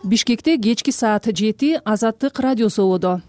Бишкекте кечки саат 7 Азаттык радиосу болду.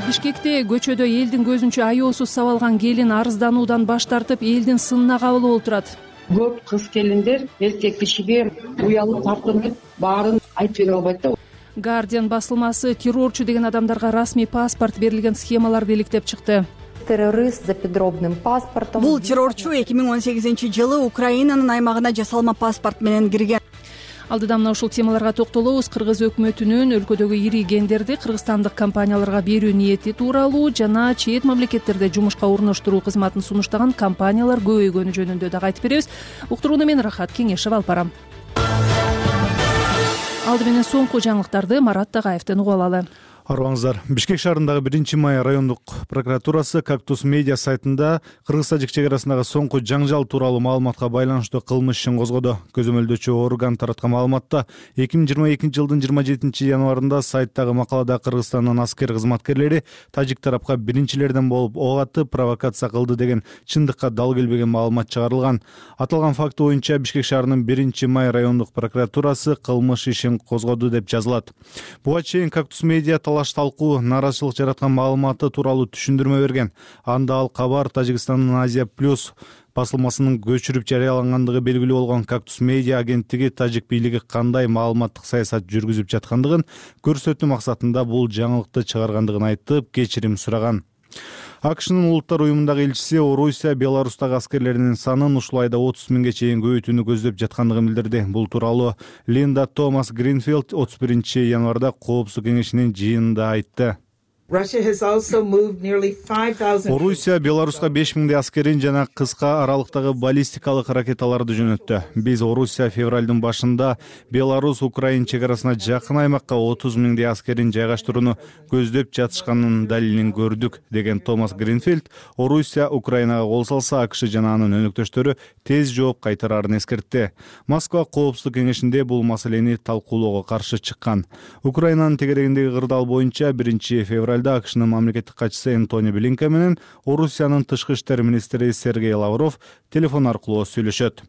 Бишкекте көчөдө элдин көзүнчө аyoосуз сабалган келин арыздануудан баш тартып, элдин сынына кабыл болуп турат. Көп кыз келиндер эркек кишиге уялып тартынып, баарын айтып бере албайт да. Guardian басылмасы террорчу деген адамдарга расмий паспорт берилген схемаларды иликтеп чыкты. Террорист за подробным паспортом. Бул террорчу 2018-жылы Украинанын аймагына жасалма паспорт менен кирген. Алдыда мына ушул темаларга токтолобуз. Кыргыз өкмөтүнүн өлкөдөгү ири гендерди кыргызстандык компанияларга берүү ниети тууралуу жана чет мамлекеттерде жумушка орноштуруу кызматын сунуштаган компаниялар көбөйгөнү жөнүндө дагы айтып беребиз. Уктурууну мен Рахат Кеңешев алып барам. Алды менен соңку жаңылыктарды Марат Тагаевден угуп алалы. Арыбаңыздар. Бишкек шаарындагы 1-май райондук прокуратурасы Кактус медиа сайтында Кыргыз-Тажик чек арасындагы соңку жаңжал тууралуу маалыматка байланыштуу кылмыш ишин козгоду. Көзөмөлдөөчү орган тараткан маалыматта 2022-жылдын 27-январында сайттагы макалада Кыргызстандын аскер кызматкерлери тажик тарапка биринчилерден болуп ок атып провокация кылды деген чындыкка дал келбеген маалымат чыгарылган. Аталган факт боюнча Бишкек шаарынын 1-май райондук прокуратурасы кылмыш ишин козгоду деп жазылат. Буга чейин Кактус медиа талаш талкуу, нааразычылык жараткан маалыматы тууралуу түшүндүрмө берген. Анда ал кабар Тажикстандын Азия Плюс басылмасынын көчүрүп жарыялангандыгы белгилүү болгон Кактус медиа агенттиги тажик бийлиги кандай маалыматтык саясат жүргүзүп жаткандыгын көрсөтүү максатында бул жаңылыкты чыгаргандыгын айтып, кечирим сураган. АКШнын улуттар уюмундагы элчиси Орусия Беларустагы аскерлеринин санын ушул айда 30 миңге чейин көбөйтүүнү көздөп жаткандыгын билдирди. Бул тууралуу Линда Томас Гринфилд 31-январда Коопсуздук кеңешинин жыйынында айтты. Орусия Беларуска 5000 аскерин жана кыска аралыктагы баллистикалык ракеталарды жөнөттү. Биз Орусия февралдын башында Беларус-Украин чек арасына жакын аймакка 30 000 аскерин жайгаштырууну көздөп жатышканын далилин көрдүк, деген Томас Гринфилд Орусия Украинага кол салса, АКШ жана анын өнөктөштөрү тез жооп кайтарарын эскертти. Москва Коопсуздук кеңешинде бул маселени талкуулоого каршы чыккан. Украинанын тегерегиндеги кырдаал боюнча 1-февралда АКШнын мамлекеттик катчысы Энтони Блинкен менен Орусиянын тышкы иштер министри Сергей Лавров телефон аркылуу сүйлөшөт.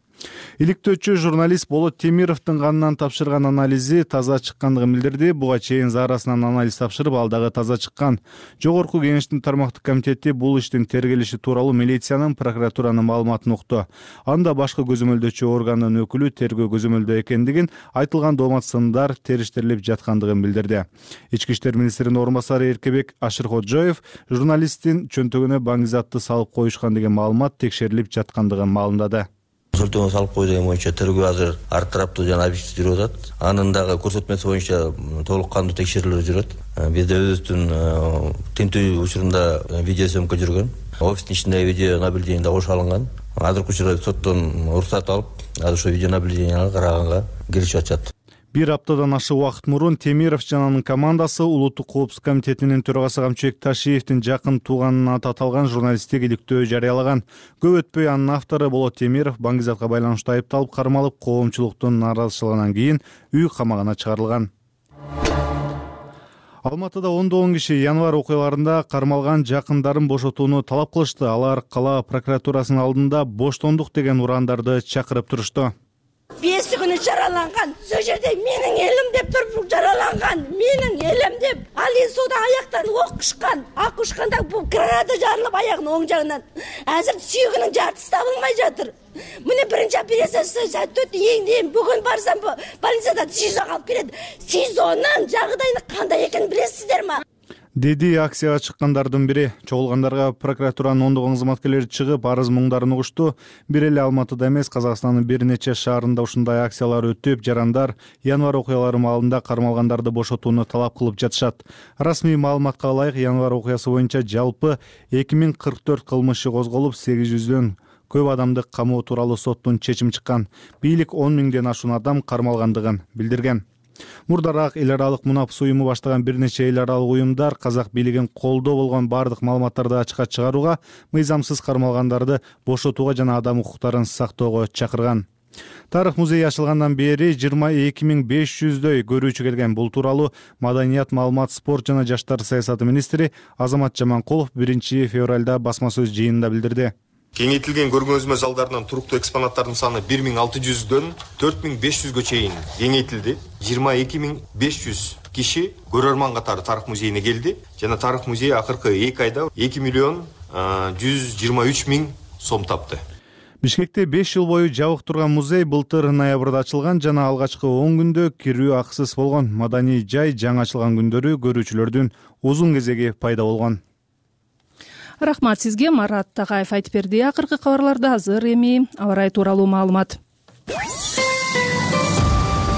Иликтөөчү журналист Болот Темировдун канынан тапшырган анализи таза чыккандыгын билдирди. Буга чейин заарасынан анализ тапшырып, ал дагы таза чыккан. Жогорку кеңештин тармактык комитети бул иштин тергелиши тууралуу милициянын, прокуратуранын маалыматын укту. Анда башкы көзөмөлдөөчү органдын өкүлү тергөө көзөмөлдөө экендигин, айтылган доомат сындар териштирилип жаткандыгын билдирди. Ички иштер министринин орун басары Эркебек Ашыркоджоев журналисттин чөнтөгүнө баңгизатты салып коюшкан деген маалымат текшерилип жаткандыгын маалымдады. Консультума салып койду боюнча тергөө азыр ар тараптуу жана объектив жүрүп атат. Анын дагы көрсөтмөсү боюнча толук кандуу текшерүүлөр жүрөт. Бизде өзүбүздүн тинтүү учурунда видеосъемка жүргөн. Офистин ичиндеги видео наблюдение кошо алынган. Азыркы учурда соттон уруксат алып, азыр ошо видео наблюдениега караганга киришип атышат. Бир аптадан ашык убакыт мурун Темиров жана анын командасы Улуттук коопсуздук комитетинин төрагасы Камчыбек Ташиевдин жакын тууганына аталган журналисттик иликтөө жарыялаган. Көп өтпөй анын автору Болот Темиров баңгизатка байланыштуу айыпталып кармалып, коомчулуктун нааразычылыгынан кийин үй камагына чыгарылган. Алматыда ондогон киши январь окуяларында кармалган жакындарын бошотууну талап кылышты. Алар кала прокуратурасынын алдында боштондук деген урандарды чакырып турушту. 5 күнү жараланган. Сол жерде менин элим деп туруп жараланган. Менин элим деп. Ал суда аяктан ок ушкан. Ак ушканда бул граната жарылып аягынын оң жагынан. Азыр сүйөгүнүн жартысы табылмай жатыр. Мына биринчи операциясы өтүп, эң бүгүн барсам больницада СИЗОга алып келет. СИЗОнун жагдайы кандай экенин билесиздер ма? Деди акцияга чыккандардын бири. Чогулгандарга прокуратуранын ондогон кызматкерлери чыгып, арыз муңдарын угушту. Бир эле Алматыда эмес, Казакстандын бир нече шаарында ушундай акциялар өтүп, жарандар январь окуялары маалында кармалгандарды бошотууну талап кылып жатышат. Расмий маалыматка ылайык, январь окуясы боюнча жалпы 2044 кылмыш козголуп, 800дөн көп адамды камоо тууралуу соттун чечими чыккан. Бийлик 10 000ден ашуун адам кармалгандыгын билдирген. Мурдараак эл аралык мунапс уюму баштаган бир нече эл аралык уюмдар казак бийлигин колдоо болгон бардык маалыматтарды ачыкка чыгарууга, мыйзамсыз кармалгандарды бошотууга жана адам укуктарын сактоого чакырган. Тарых музейи ачылгандан бери 22 500дөй көрүүчү келген. Бул тууралуу Маданият, маалымат, спорт жана жаштар саясаты министри Азамат Жаманкулов 1 февралда басма сөз жыйынында билдирди. Кеңейтилген көргөзмө залдарынын туруктуу экспонаттардын саны 1600дөн 4500гө чейин кеңейтилди. 22500 киши көрөрман катары тарых музейине келди жана тарых музейи акыркы 2 айда 2.123.000 сом тапты. Бишкекте 5 жыл бою жабык турган музей былтыр ноябрда ачылган жана алгачкы 10 күндө кирүү акысыз болгон. Маданий жай жаңы ачылган күндөрү көрүүчүлөрдүн узун кезеги пайда болгон. Рахмат сизге, Марат Тагаев айтып берди. Акыркы кабарларда азыр эми аба ырайы тууралуу маалымат.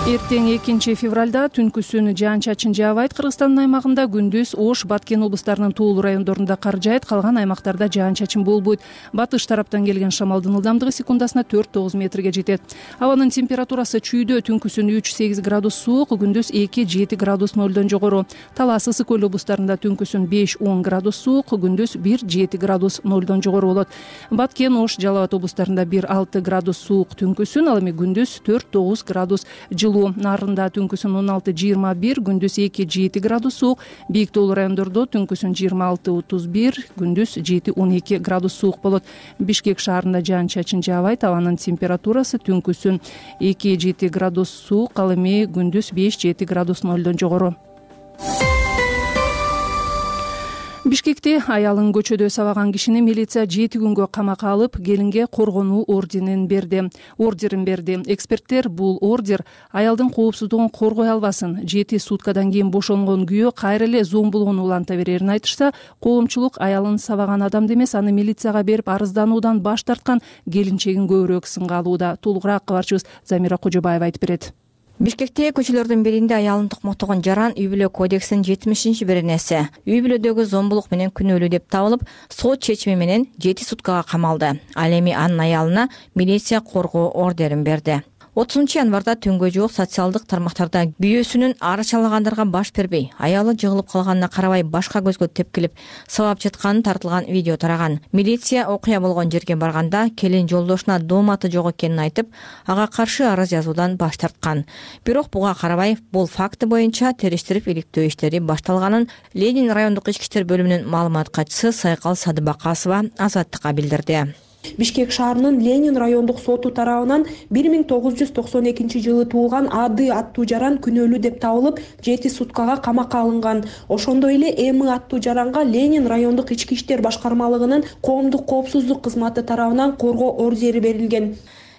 Эртең 2 февралда түнкүсүн жаан-чачын жаабайт. Кыргызстандын аймагында күндүз Ош, Баткен облустарынын туулуу райондорунда кар жаайт, калган аймактарда жаан-чачын болбойт. Батыш тараптан келген шамалдын ылдамдыгы секундасына 4-9 метрге жетет. Абанын температурасы чүйдө түнкүсүн 3-8 градус суук, күндүз 2-7 градус нөлдөн жогору. Талас, Ысык көл облустарында түнкүсүн 5-10 градус суук, күндүз 1-7 градус нөлдөн жогору болот. Баткен, Ош, Жалал Абад облустарында 1-6 градус суук түнкүсүн, ал эми күндүз 4-9 градус жылуу. Нарында түнкүсүн 16-21, күндүз 2-7 градус суук, бийик тоолуу райондордо түнкүсүн 26-31, күндүз 7-12 градус суук болот. Бишкек шаарында жаан-чачын жаабайт, абанын температурасы түнкүсүн 2-7 градус суук, ал эми күндүз 5-7 градус нөлдөн жогору. Бишкекте аялын көчөдө сабаган кишини милиция 7 күнгө камакка алып, келинге коргонуу ордерин берди. Эксперттер бул ордер аялдын коопсуздугун коргой албасын. 7 суткадан кийин бошонгон күйөө кайра эле зомбулгууну уланта берерин айтышса, коомчулук аялын сабаган адамды эмес, аны милицияга берип арыздануудан баш тарткан келинчегин көбүрөөк сынга алууда. Толугураак кабарчыбыз Замира Кожобаева айтып берет. Бишкекте көчөлөрдүн биринде аялын токмоттогон жаран үй бүлө кодексинин 70-беренеси үй бүлөдөгү зомбулук менен күнөөлүү деп табылып, сот чечими менен 7 суткага камалды. Ал эми анын аялына милиция коргоо ордерин берди. 30 январда түнгө жук социалдык тармактарда күйөөсүнүн арачалагандарга баш бербей, аялы жыгылып калганына карабай башка көзгө тепкилип сабап жатканын тартылган видео тараган. Милиция окуя болгон жерге барганда келин жолдошуна дом аты жок экенин айтып, ага каршы арыз жазуудан баш тарткан. Бирок буга карабай, бул факты боюнча териштирип иликтөө иштери башталганын Ленин райондук ички иштер бөлүмүнүн маалымат катчысы Сайкал Садыбакасова Азаттыкка билдирди. Бишкек шаарынын Ленин райондук соту тарабынан 1992 жылы туулган Ады аттуу жаран күнөөлүү деп табылып, 7 суткага камакка алынган. Ошондой эле Эми аттуу жаранга Ленин райондук ички иштер башкармалыгынын коомдук коопсуздук кызматы тарабынан коргоо ордери берилген.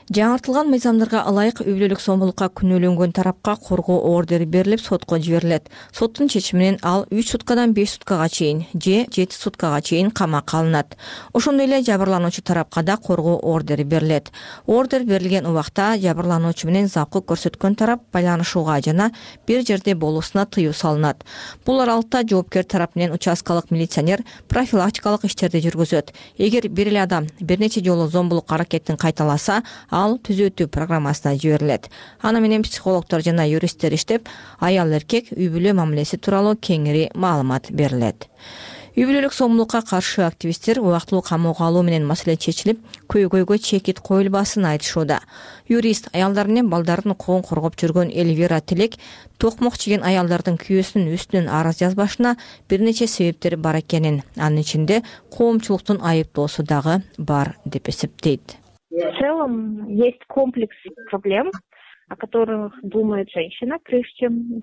Жаңыртылган мыйзамдарга ылайык үй бүлөлүк зомбулукка күнөөлөнгөн тарапка коргоо ордери берилип, сотко жиберилет. Соттун чечими менен ал 3 суткадан 5 суткага чейин же 7 суткага чейин камакка алынат. Ошондой эле жабырлануучу тарапка да коргоо ордери берилет. Ордер берилген убакта жабырлануучу менен запкы көрсөткөн тарап байланышууга жана бир жерде болуусуна тыюу салынат. Бул аралыкта жоопкер тарап менен участкалык милиционер профилактикалык иштерди жүргүзөт. Эгер бир эле адам бир нече жолу зомбулук аракетин кайталаса, ал түзөтүү программасына жиберилет. Аны менен психологдор жана юристтер иштеп, аял эркек үй бүлө мамилеси тууралуу кеңири маалымат берилет. Үй бүлөлүк зомбулукка каршы активисттер убактылуу камоого алуу менен маселе чечилип, көйгөйгө чекит коюлбасын айтышууда. Юрист аялдар менен балдардын укугун коргоп жүргөн Эльвира Тилек токмок чиген аялдардын күйөөсүнүн үстүнөн арыз жазбашына бир нече себептер бар экенин, анын ичинде коомчулуктун айыптоосу дагы бар деп эсептейт. В целом есть комплекс проблем, о которых думает женщина, прежде чем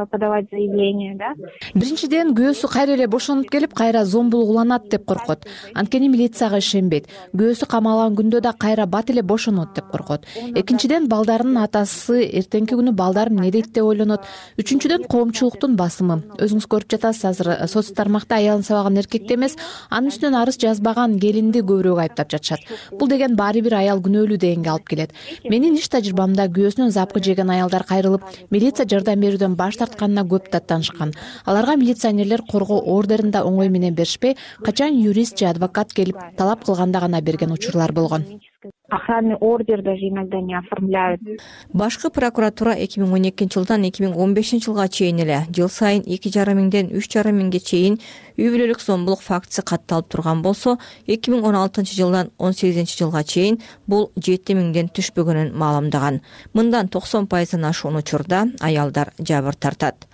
подавать заявление, да? Биринчиден, күйөөсү кайра эле бошонуп келип, кайра зомбулук уланат деп коркот. Анткени милицияга ишенбейт. Күйөөсү камалган күндө да кайра бат эле бошонот деп коркот. Экинчиден, балдарынын атасы эртеңки күнү балдарым эмне дейт деп ойлонот. Үчүнчүдөн, коомчулуктун басымы. Өзүңүз көрүп жатасыз, азыр соц тармакта аялын сабаган эркекти эмес, анын үстүнөн арыз жазбаган келинди көбүрөөк айыптап жатышат. Бул деген баары бир аял күнөөлүү дегенге алып келет. Менин иш тажрыйбамда күйөөсүнөн запкы жеген аялдар кайрылып, милиция жардам берүүдөн баш тартканына көп даттанышкан. Аларга милиционерлер коргоо ордерин да оңой менен беришпей, качан юрист же адвокат келип талап кылганда гана берген учурлар болгон. Охранный ордер даже иногда не оформляют. Башкы прокуратура 2012 жылдан 2015 жылга чейин эле жыл сайын 2,5 миңден 3,5 миңге чейин үй бүлөлүк зомбулук фактысы катталып турган болсо, 2016 жылдан 18 жылга чейин бул 7 миңден түшпөгөнүн маалымдаган. Мындан 90% ашуун учурда аялдар жабыр тартат.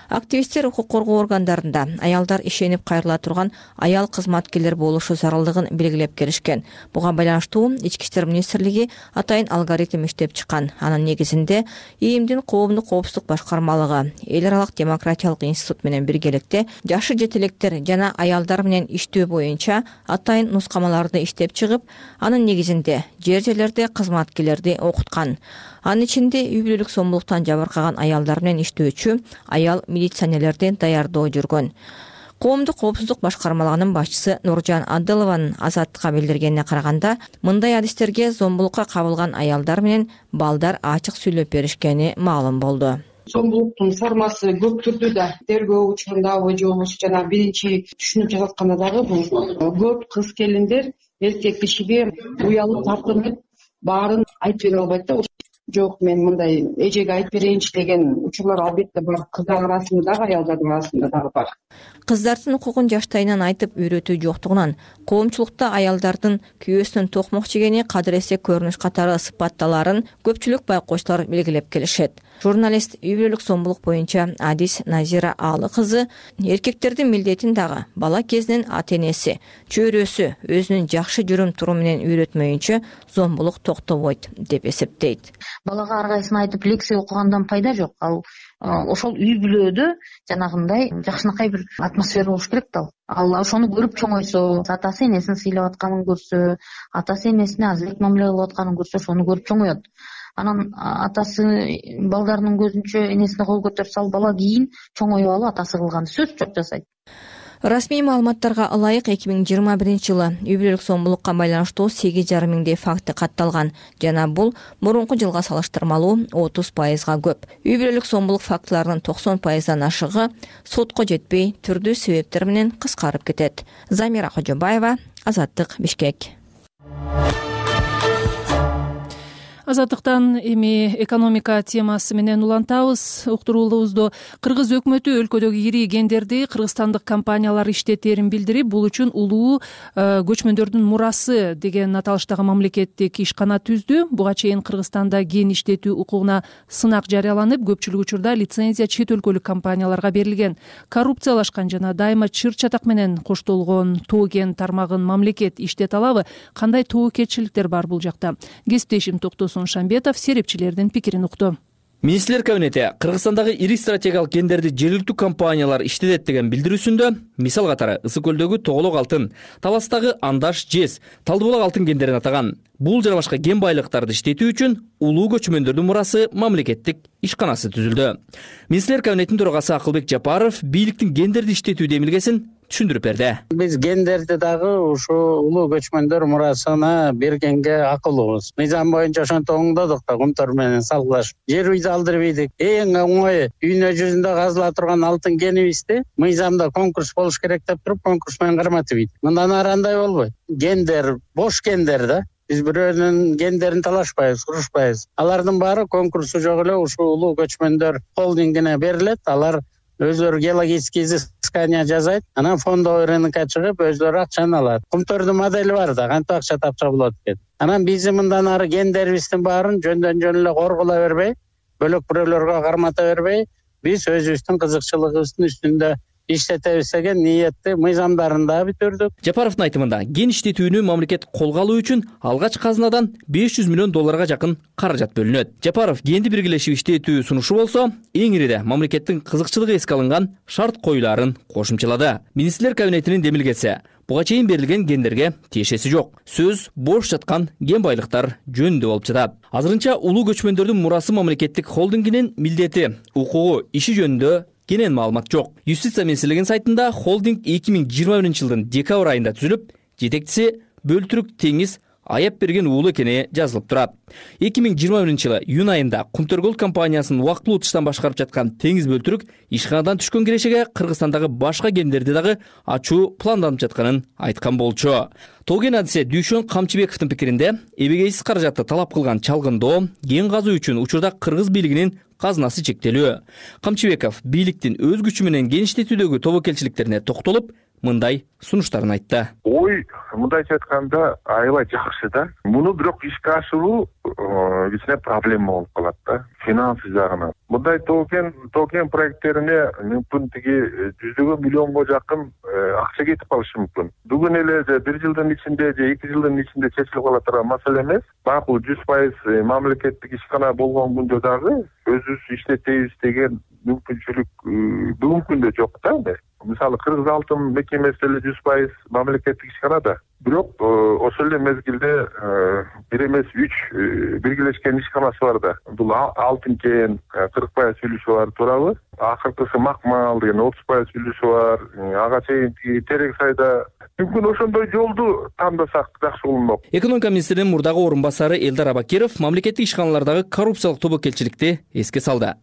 Активисттер укук коргоо органдарында аялдар ишенип кайрыла турган аял кызматкерлер болушу зарылдыгын белгилеп келишкен. Буга байланыштуу Ички иштер министрлиги атайын алгоритм иштеп чыккан. Анын негизинде ИИМдин коомдук коопсуздук башкармалыгы эл аралык демократиялык институт менен биргеликте жашы жетелектер жана аялдар менен иштөө боюнча атайын нускамаларды иштеп чыгып, анын негизинде жер-жерлерде кызматкерлерди окуткан. Анын ичинде үй бүлөлүк зомбулуктан жабыркаган аялдар менен иштөөчү аял милиционерлерди даярдоо жүргөн. Коомдук коопсуздук башкармалыгынын башчысы Нуржан Адылованын Азаттыкка билдиргенине караганда, мындай адистерге зомбулукка кабылган аялдар менен балдар ачык сүйлөп беришкени маалым болду. Зомбулуктун формасы көп түрдүү да, тергөө учурундабы же болбосо жана биринчи түшүнүп жасатканда дагы бул көп кыз келиндер эркек кишиге уялып тартынып баарын айтып бере албайт да. Жок, мен мындай эжеге айтып берейинчи деген учурлар албетте бар. Кыздар арасында дагы, аялдардын арасында дагы бар. Кыздардын укугун жаштайынан айтып үйрөтүү жоктугунан коомчулукта аялдардын күйөөсүнүн токмок жегени кадыресе көрүнүш катары сыпатталарын көпчүлүк байкоочулар белгилеп келишет. Журналист үй бүлөлүк зомбулук боюнча Адис Назира Алы кызы эркектердин милдетин дагы бала кезинен ата-энеси, чөйрөсү өзүнүн жакшы жүрүм турум менен үйрөтмөйүнчө зомбулук токтобойт деп эсептейт. Балага ар кайсысын айтып лекция окугандан пайда жок. Ал ошол үй бүлөдө жанагындай жакшынакай бир атмосфера болуш керек да. Ал ошону көрүп чоңойсо, атасы энесин сыйлап атканын көрсө, атасы энесине азыраак мамиле кылып атканын көрсө, ошону көрүп чоңоет. Анан атасы балдарынын көзүнчө энесине кол көтөрүп сал, бала кийин чоңоюп алып атасы кылган сөз жок жасайт. Расмий маалыматтарга ылайык 2021 жылы үй бүлөлүк зомбулукка байланыштуу 8,5 миңдей факты катталган жана бул мурунку жылга салыштырмалуу 30%га көп. Үй бүлөлүк зомбулук фактыларынын 90%дан ашыгы сотко жетпей түрдүү себептер менен кыскарып кетет. Замира Кожобаева, Азаттык, Бишкек. Азаттыктан эми экономика темасы менен улантабыз. Уктуруулуубузду Кыргыз өкмөтү өлкөдөгү ири гендерди кыргызстандык компаниялар иштетерин билдирип, бул үчүн улуу көчмөндөрдүн мурасы деген аталыштагы мамлекеттик ишкана түздү. Буга чейин Кыргызстанда ген иштетүү укугуна сынак жарыяланып, көпчүлүк учурда лицензия чет өлкөлүк компанияларга берилген. Коррупциялашкан жана дайыма чыр-чатак менен коштолгон тоо кен тармагын мамлекет иштете алабы? Кандай тобокелчиликтер бар бул жакта? Кесиптешим Токтосун Шамбетов серепчилердин пикирин укту. Министрлер кабинети Кыргызстандагы ири стратегиялык гендерди жергиликтүү компаниялар иштетет деген билдирүүсүндө мисал катары Ысык көлдөгү Тоголок алтын, Таластагы Андаш жез, Талдыбулак алтын гендерин атаган. Бул жана башка ген байлыктарды иштетүү үчүн улуу көчмөндөрдүн мурасы мамлекеттик ишканасы түзүлдү. Министрлер кабинетинин төрагасы Акылбек Жапаров бийликтин гендерди иштетүү демилгесин түшүндүрүп берди. Биз гендерди дагы ушу улуу көчмөндөр мурасына бергенге акылыбыз. Мыйзам боюнча ошентип оңдодук да, кумтор менен салгылашып. Жер үйдү алдырып ийдик. Эң оңой дүйнө жүзүндө казыла турган алтын генибизди мыйзамда конкурс болуш керек деп туруп, конкурс менен карматып ийдик. Мындан ары андай болбойт. Гендер бош гендер да. Биз бирөөнүн гендерин талашпайбыз, урушпайбыз. Алардын баары конкурсу жок эле ушул улуу көчмөндөр холдингине берилет. Алар өзлөрү геологический изыскания жасайт, анан фондовый рынокко чыгып өзлөрү акчаны алат. Кумтордун модели бар да, кантип акча тапса болот экен. Анан биз мындан ары гендерибиздин баарын жөндөн жөн эле корголо бербей, бөлөк бирөөлөргө кармата бербей, биз өзүбүздүн кызыкчылыгыбыздын үстүндө иштетебиз деген ниетти мыйзамдарын да бүтүрдүк. Жапаровдун айтымында ген иштетүүнү мамлекет колго алуу үчүн алгач казынадан $500 миллион жакын каражат бөлүнөт. Жапаров генди биргелешип иштетүү сунушу болсо, эң ириде мамлекеттин кызыкчылыгы эске алынган шарт коюларын кошумчалады. Министрлер кабинетинин демилгеси буга чейин берилген гендерге тиешеси жок. Сөз бош жаткан ген байлыктар жөнүндө болуп жатат. Азырынча улуу көчмөндөрдүн мурасы мамлекеттик холдингинин милдети, укугу, иши жөнүндө кенен маалымат жок. Юстиция министрлигинин сайтында холдинг 2021 жылдын декабрь айында түзүлүп, жетекчиси Бөлтүрүк Теңиз аяп берген уулу экени жазылып турат. 2021 жылы июнь айында Кумтөргөл компаниясынын убактылуу тыштан башкарып жаткан Теңиз Бөлтүрүк ишканадан түшкөн кирешеге Кыргызстандагы башка гендерди дагы ачуу планданып жатканын айткан болчу. Тоген адиси Дүйшөн Камчыбековдун пикиринде, эбегейсиз каражатты талап кылган чалгындоо ген казуу үчүн учурда кыргыз бийлигинин казынасы чектелүү. Камчыбеков бийликтин өз күчү менен ген иштетүүдөгү тобокелчиликтерине токтолуп, мындай сунуштарын айтты. Ой, мындайча айтканда аябай жакшы да. Муну бирок ишке ашыруу кичине проблема болуп калат да, финансы жагынан. Мындай токен проекттерине мүмкүн тиги жүздөгөн миллионго жакын акча кетип калышы мүмкүн. Бүгүн эле же 1 жылдын ичинде же 2 жылдын ичинде чечилип кала турган маселе эмес. Макул 100% мамлекеттик ишкана болгон күндө дагы өзүбүз иштетебиз деген мүмкүнчүлүк бүгүнкү күндө жок да. Мисалы Кыргыз алтын мекемеси эле 100% мамлекеттик ишкана да. Бирок ошол эле мезгилде бир эмес 3 биргелешкен ишканасы бар да. Бул алтын кен 40% үлүшү бар туурабы? Акыркысы Макмал деген 30% үлүшү бар. Ага чейин Терек сайда мүмкүн ошондой жолду тандасак жакшы болмок. Экономика министринин мурдагы орун басары Элдар Абакиров мамлекеттик ишканалардагы коррупциялык тобокелчиликти эске салды.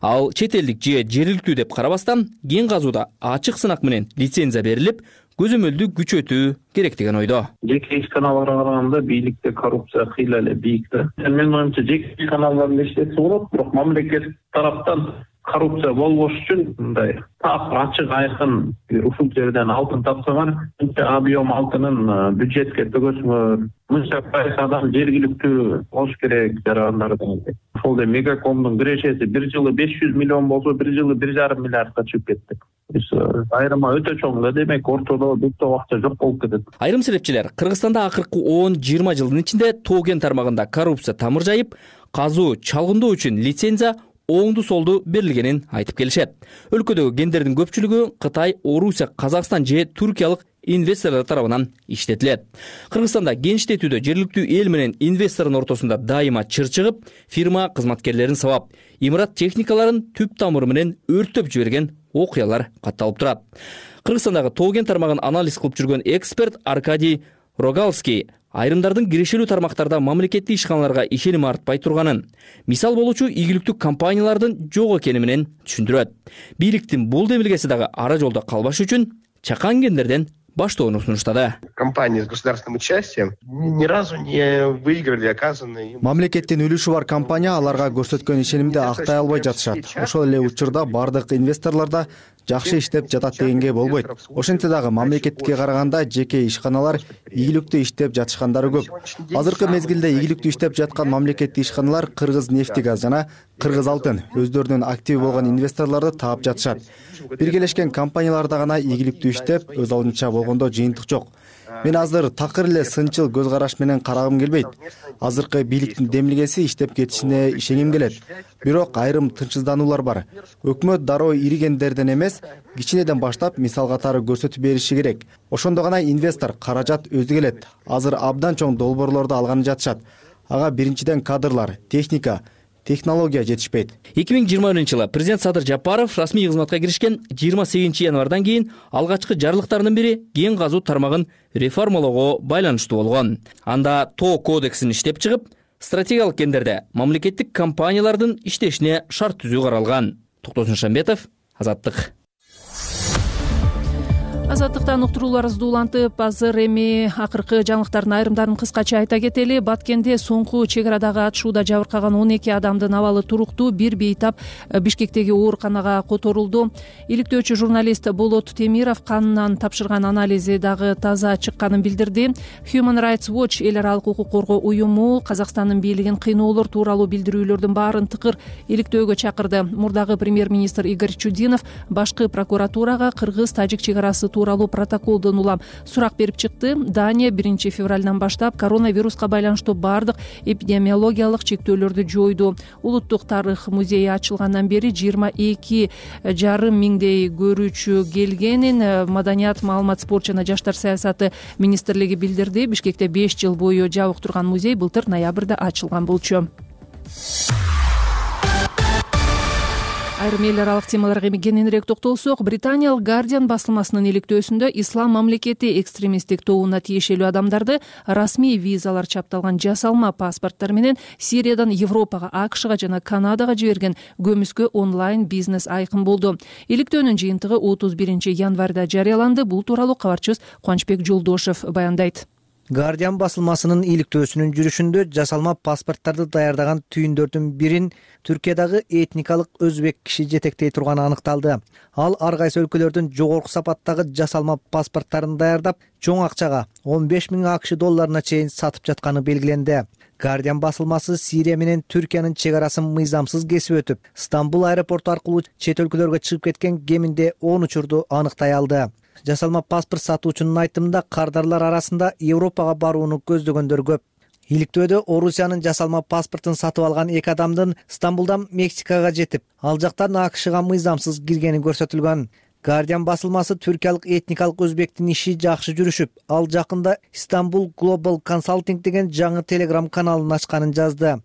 Ал чет элдик же жергиликтүү деп карабастан кен казууда ачык сынак менен лицензия берилип, көзөмөлдү күчөтүү керек деген ойдо. Жеке ишканаларга караганда бийликте коррупция кыйла эле бийик да. Менин оюмча жеке ишканаларды иштетсе болот, бирок мамлекет тараптан коррупция болбош үчүн мындай ачык айкын ушул жерден алтын тапсаңар, мынча объем алтынын бюджетке төгөсөңөр, мынча пайыз адам жергиликтүү болуш керек жарандардын. Ошол эле Мегакомдун кирешеси 1 жылы 500 миллион болсо, 1 жылы 1,5 миллиардка чыгып кетти. Айрыма өтө чоң да, демек ортодо бүттө акча жок болуп кетет. Айрым серепчилер Кыргызстанда акыркы 10-20 жылдын ичинде тоген тармагында коррупция тамыр жайып, казуу, чалгындоо үчүн лицензия оңду-солду берилгенин айтып келишет. Өлкөдөгү кендердин көпчүлүгү Кытай, Орусия, Казакстан же Түркиялык инвесторлор тарабынан иштетилет. Кыргызстанда кен иштетүүдө жергиликтүү эл менен инвестордун ортосунда дайыма чыр чыгып, фирма кызматкерлерин сабап, имарат техникаларын түп тамыры менен өрттөп жиберген окуялар катталып турат. Кыргызстандагы тоген тармагын анализ кылып жүргөн эксперт Аркадий Рогалский айрымдардын кирешелүү тармактарда мамлекеттик ишканаларга ишеним артпай турганын, мисал болуучу ийгиликтүү компаниялардын жок экени менен түшүндүрөт. Бийликтин бул демилгеси дагы ара жолдо калбаш үчүн чакан кендерден баштоону сунуштады. Компании с государственным участием ни разу не выиграли оказанные. Мамлекеттин үлүшү бар компания аларга көрсөткөн ишенимди актай албай жатышат. Ошол эле учурда бардык инвесторлор да жакшы иштеп жатат дегенге болбойт. Ошентсе дагы мамлекетке караганда жеке ишканалар ийгиликтүү иштеп жатышкандары көп. Азыркы мезгилде ийгиликтүү иштеп жаткан мамлекеттик ишканалар Кыргыз нефтегаз жана Кыргыз алтын өздөрүнүн актив болгон инвесторлорду таап жатышат. Биргелешкен компанияларда гана ийгиликтүү иштеп, өз алдынча болгондо жыйынтык жок. Мен азыр такыр эле сынчыл көз караш менен карагым келбейт. Азыркы бийликтин демилгеси иштеп кетишине ишенгим келет. Бирок айрым тынчсыздануулар бар. Өкмөт дароо ири кендерден эмес, кичинеден баштап мисал катары көрсөтүп бериши керек. Ошондо гана инвестор каражат өзү келет. Азыр абдан чоң долбоорлорду алганы жатышат. Ага биринчиден кадрлар, техника, технология жетишпейт. 2020-жылы президент Садыр Жапаров расмий кызматка киришкен 28 январдан кийин алгачкы жарлыктарынын бири кен казуу тармагын реформалоого байланыштуу болгон. Анда тоо кодексин иштеп чыгып, стратегиялык кендерде мамлекеттик компаниялардын иштешине шарт түзүү каралган. Токтосун Шамбетов, Азаттык. Азаттыктан уктурууларыбызды улантып, азыр эми акыркы жаңылыктардын айрымдарын кыскача айта кетели. Баткенде соңку чек арадагы атышууда жабыркаган 12 адамдын абалы туруктуу. Бир бейтап Бишкектеги ооруканага которулду. Иликтөөчү журналист Болот Темиров канынан тапшырган анализи дагы таза чыкканын билдирди. Human Rights Watch эл аралык укук коргоо уюму Казакстандын бийлигин кыйноолор тууралуу билдирүүлөрдүн баарын тыкыр иликтөөгө чакырды. Мурдагы премьер-министр Игорь Чудинов башкы прокуратурага кыргыз-тажик чек арасы тууралуу протоколдон улам сурак берип чыкты. Дания 1 февралдан баштап коронавируска байланыштуу бардык эпидемиологиялык чектөөлөрдү жойду. Улуттук тарых музейи ачылгандан бери 22,5 миңдей көрүүчү келгенин Маданият, маалымат, спорт жана жаштар саясаты министрлиги билдирди. Бишкекте 5 жыл бою жабык турган музей былтыр ноябрда ачылган болчу. Айрым эл аралык темаларга кененирээк токтолсок, Британиялык Guardian басылмасынын иликтөөсүндө ислам мамлекети экстремисттик тобуна тиешелүү адамдарды расмий визалар чапталган жасалма паспорттор менен Сириядан Европага, АКШга жана Канадага жиберген көмүскө онлайн бизнес айкын болду. Иликтөөнүн жыйынтыгы 31 январда жарыяланды. Бул тууралуу кабарчыбыз Кубанычбек Жолдошев баяндайт. Guardian басылмасынын иликтөөсүнүн жүрүшүндө жасалма паспорттарды даярдаган түйүндөрдүн бирин Түркиядагы этникалык өзбек киши жетектей турганы аныкталды. Ал ар кайсы өлкөлөрдүн жогорку сапаттагы жасалма паспорттарын даярдап, чоң акчага $15,000 чейин сатып жатканы белгиленди. Guardian басылмасы Сирия менен Түркиянын чек арасын мыйзамсыз кесип өтүп, Стамбул аэропорту аркылуу чет өлкөлөргө чыгып кеткен кеминде 10 учурду аныктай алды. Жасалма паспорт сатуучунун айтымында кардарлар арасында Европага барууну көздөгөндөр көп. Иликтөөдө Орусиянын жасалма паспортун сатып алган 2 адамдын Стамбулдан Мексикага жетип, ал жактан АКШга мыйзамсыз киргени көрсөтүлгөн. Guardian басылмасы түркиялык этникалык өзбектин иши жакшы жүрүшүп, ал жакында Istanbul Global Consulting деген жаңы телеграм каналын ачканын жазды.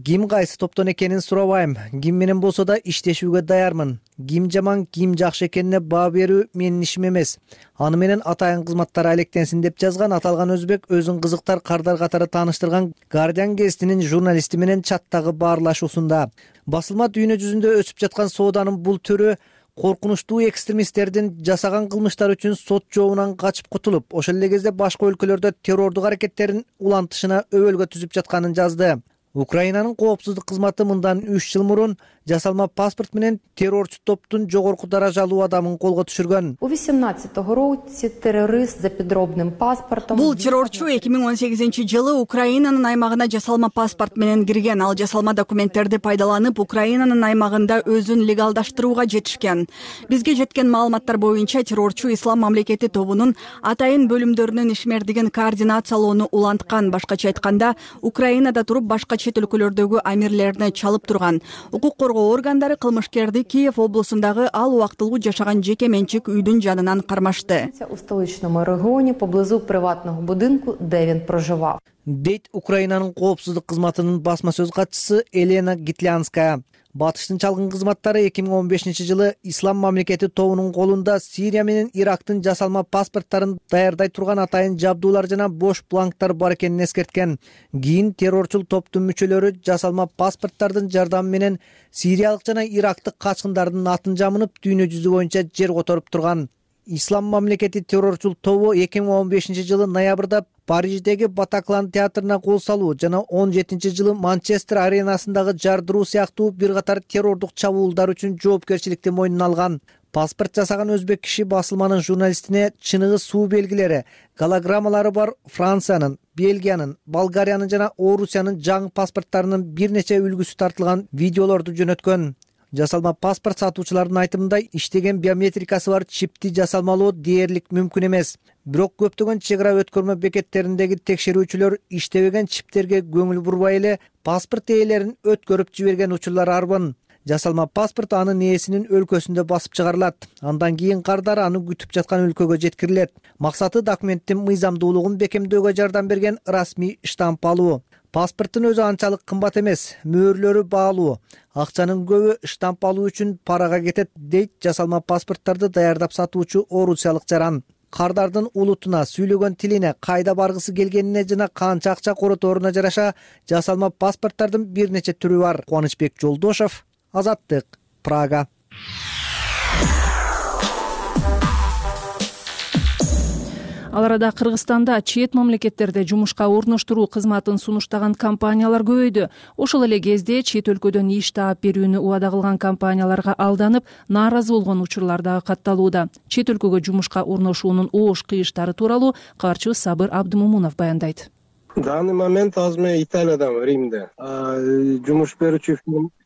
Ким кайсы топтон экенин сурабайм. Ким менен болсо да иштешүүгө даярмын. Ким жаман, ким жакшы экенине баа берүү менин ишим эмес. Аны менен атайын кызматтары алектенсин деп жазган аталган өзбек өзүн кызыктар кардар катары тааныштырган Guardian гезитинин журналисти менен чаттагы баарлашуусунда. Басылма дүйнө жүзүндө өсүп жаткан сооданын бул түрү коркунучтуу экстремисттердин жасаган кылмыштар үчүн сот жообунан качып кутулуп, ошол эле кезде башка өлкөлөрдө террордук аракеттерин улантышына өбөлгө түзүп жатканын жазды. Украинанын коопсуздук кызматы мындан 3 жыл мурун жасалма паспорт менен террорчу топтун жогорку даражалуу адамын колго түшүргөн. У 18-го році террорист за підробним паспортом. Бул террорчу 2018-жылы Украинанын аймагына жасалма паспорт менен кирген. Ал жасалма документтерди пайдаланып, Украинанын аймагында өзүн легалдаштырууга жетишкен. Бизге жеткен маалыматтар боюнча террорчу Ислам мамлекети тобунун атайын бөлүмдөрүнүн ишмердигин координациялоону уланткан. Башкача айтканда, Украинада туруп башка чет өлкөлөрдөгү амирлерине чалып турган. Укук коргоо органдары кылмышкерди Киев облусундагы ал убактылуу жашаган жеке менчик үйдүн жанынан кармашты. У столичному регионе поблизу приватного будинку, де він проживав. Дейт Украинанын коопсуздук кызматынын басма сөз катчысы Елена Гитлянская. Батыштын чалгын кызматтары 2015-жылы Ислам мамлекети тобунун колунда Сирия менен Ирактын жасалма паспорттарын даярдай турган атайын жабдуулар жана бош бланктар бар экенин эскерткен. Кийин террорчул топтун мүчөлөрү жасалма паспорттардын жардамы менен сириялык жана ирактык качкындардын атын жамынып, дүйнө жүзү боюнча жер которуп турган. Ислам мамлекети террорчул тобу 2015-жылы ноябрда Париждеги Батаклан театрына кол салуу жана 17-жылы Манчестер аренасындагы жардыруу сыяктуу бир катар террордук чабуулдар үчүн жоопкерчиликти мойнуна алган. Паспорт жасаган өзбек киши басылманын журналистине чыныгы суу белгилери, голограммалары бар Франциянын, Бельгиянын, Болгариянын жана Орусиянын жаңы паспорттарынын бир нече үлгүсү тартылган видеолорду жөнөткөн. Жасалма паспорт сатуучулардын айтымында иштеген биометрикасы бар чипти жасалмалоо дээрлик мүмкүн эмес. Бирок көптөгөн чек ара өткөрмө бекеттериндеги текшерүүчүлөр иштебеген чиптерге көңүл бурбай эле паспорт ээлерин өткөрүп жиберген учурлар арбын. Жасалма паспорт анын ээсинин өлкөсүндө басып чыгарылат. Андан кийин кардар аны күтүп жаткан өлкөгө жеткирилет. Максаты документтин мыйзамдуулугун бекемдөөгө жардам берген расмий штамп алуу. Паспорттун өзү анчалык кымбат эмес, мөөрлөрү баалуу. Акчанын көбү штамп алуу үчүн парага кетет, дейт жасалма паспорттарды даярдап сатуучу орусиялык жаран. Кардардын улутуна, сүйлөгөн тилине, кайда баргысы келгенине жана канча акча короторуна жараша жасалма паспорттардын бир нече түрү бар. Кубанычбек Жолдошов, Азаттык, Прага. Ал арада Кыргызстанда чет мамлекеттерде жумушка орноштуруу кызматын сунуштаган компаниялар көбөйдү. Ошол эле кезде чет өлкөдөн иш таап берүүнү убада кылган компанияларга алданып, нааразы болгон учурлар дагы катталууда. Чет өлкөгө жумушка орношуунун оош кыйыштары тууралуу кабарчыбыз Сабыр Абдымомунов баяндайт. В данный момент азыр мен Италиядамын, Римде. Жумуш берүүчү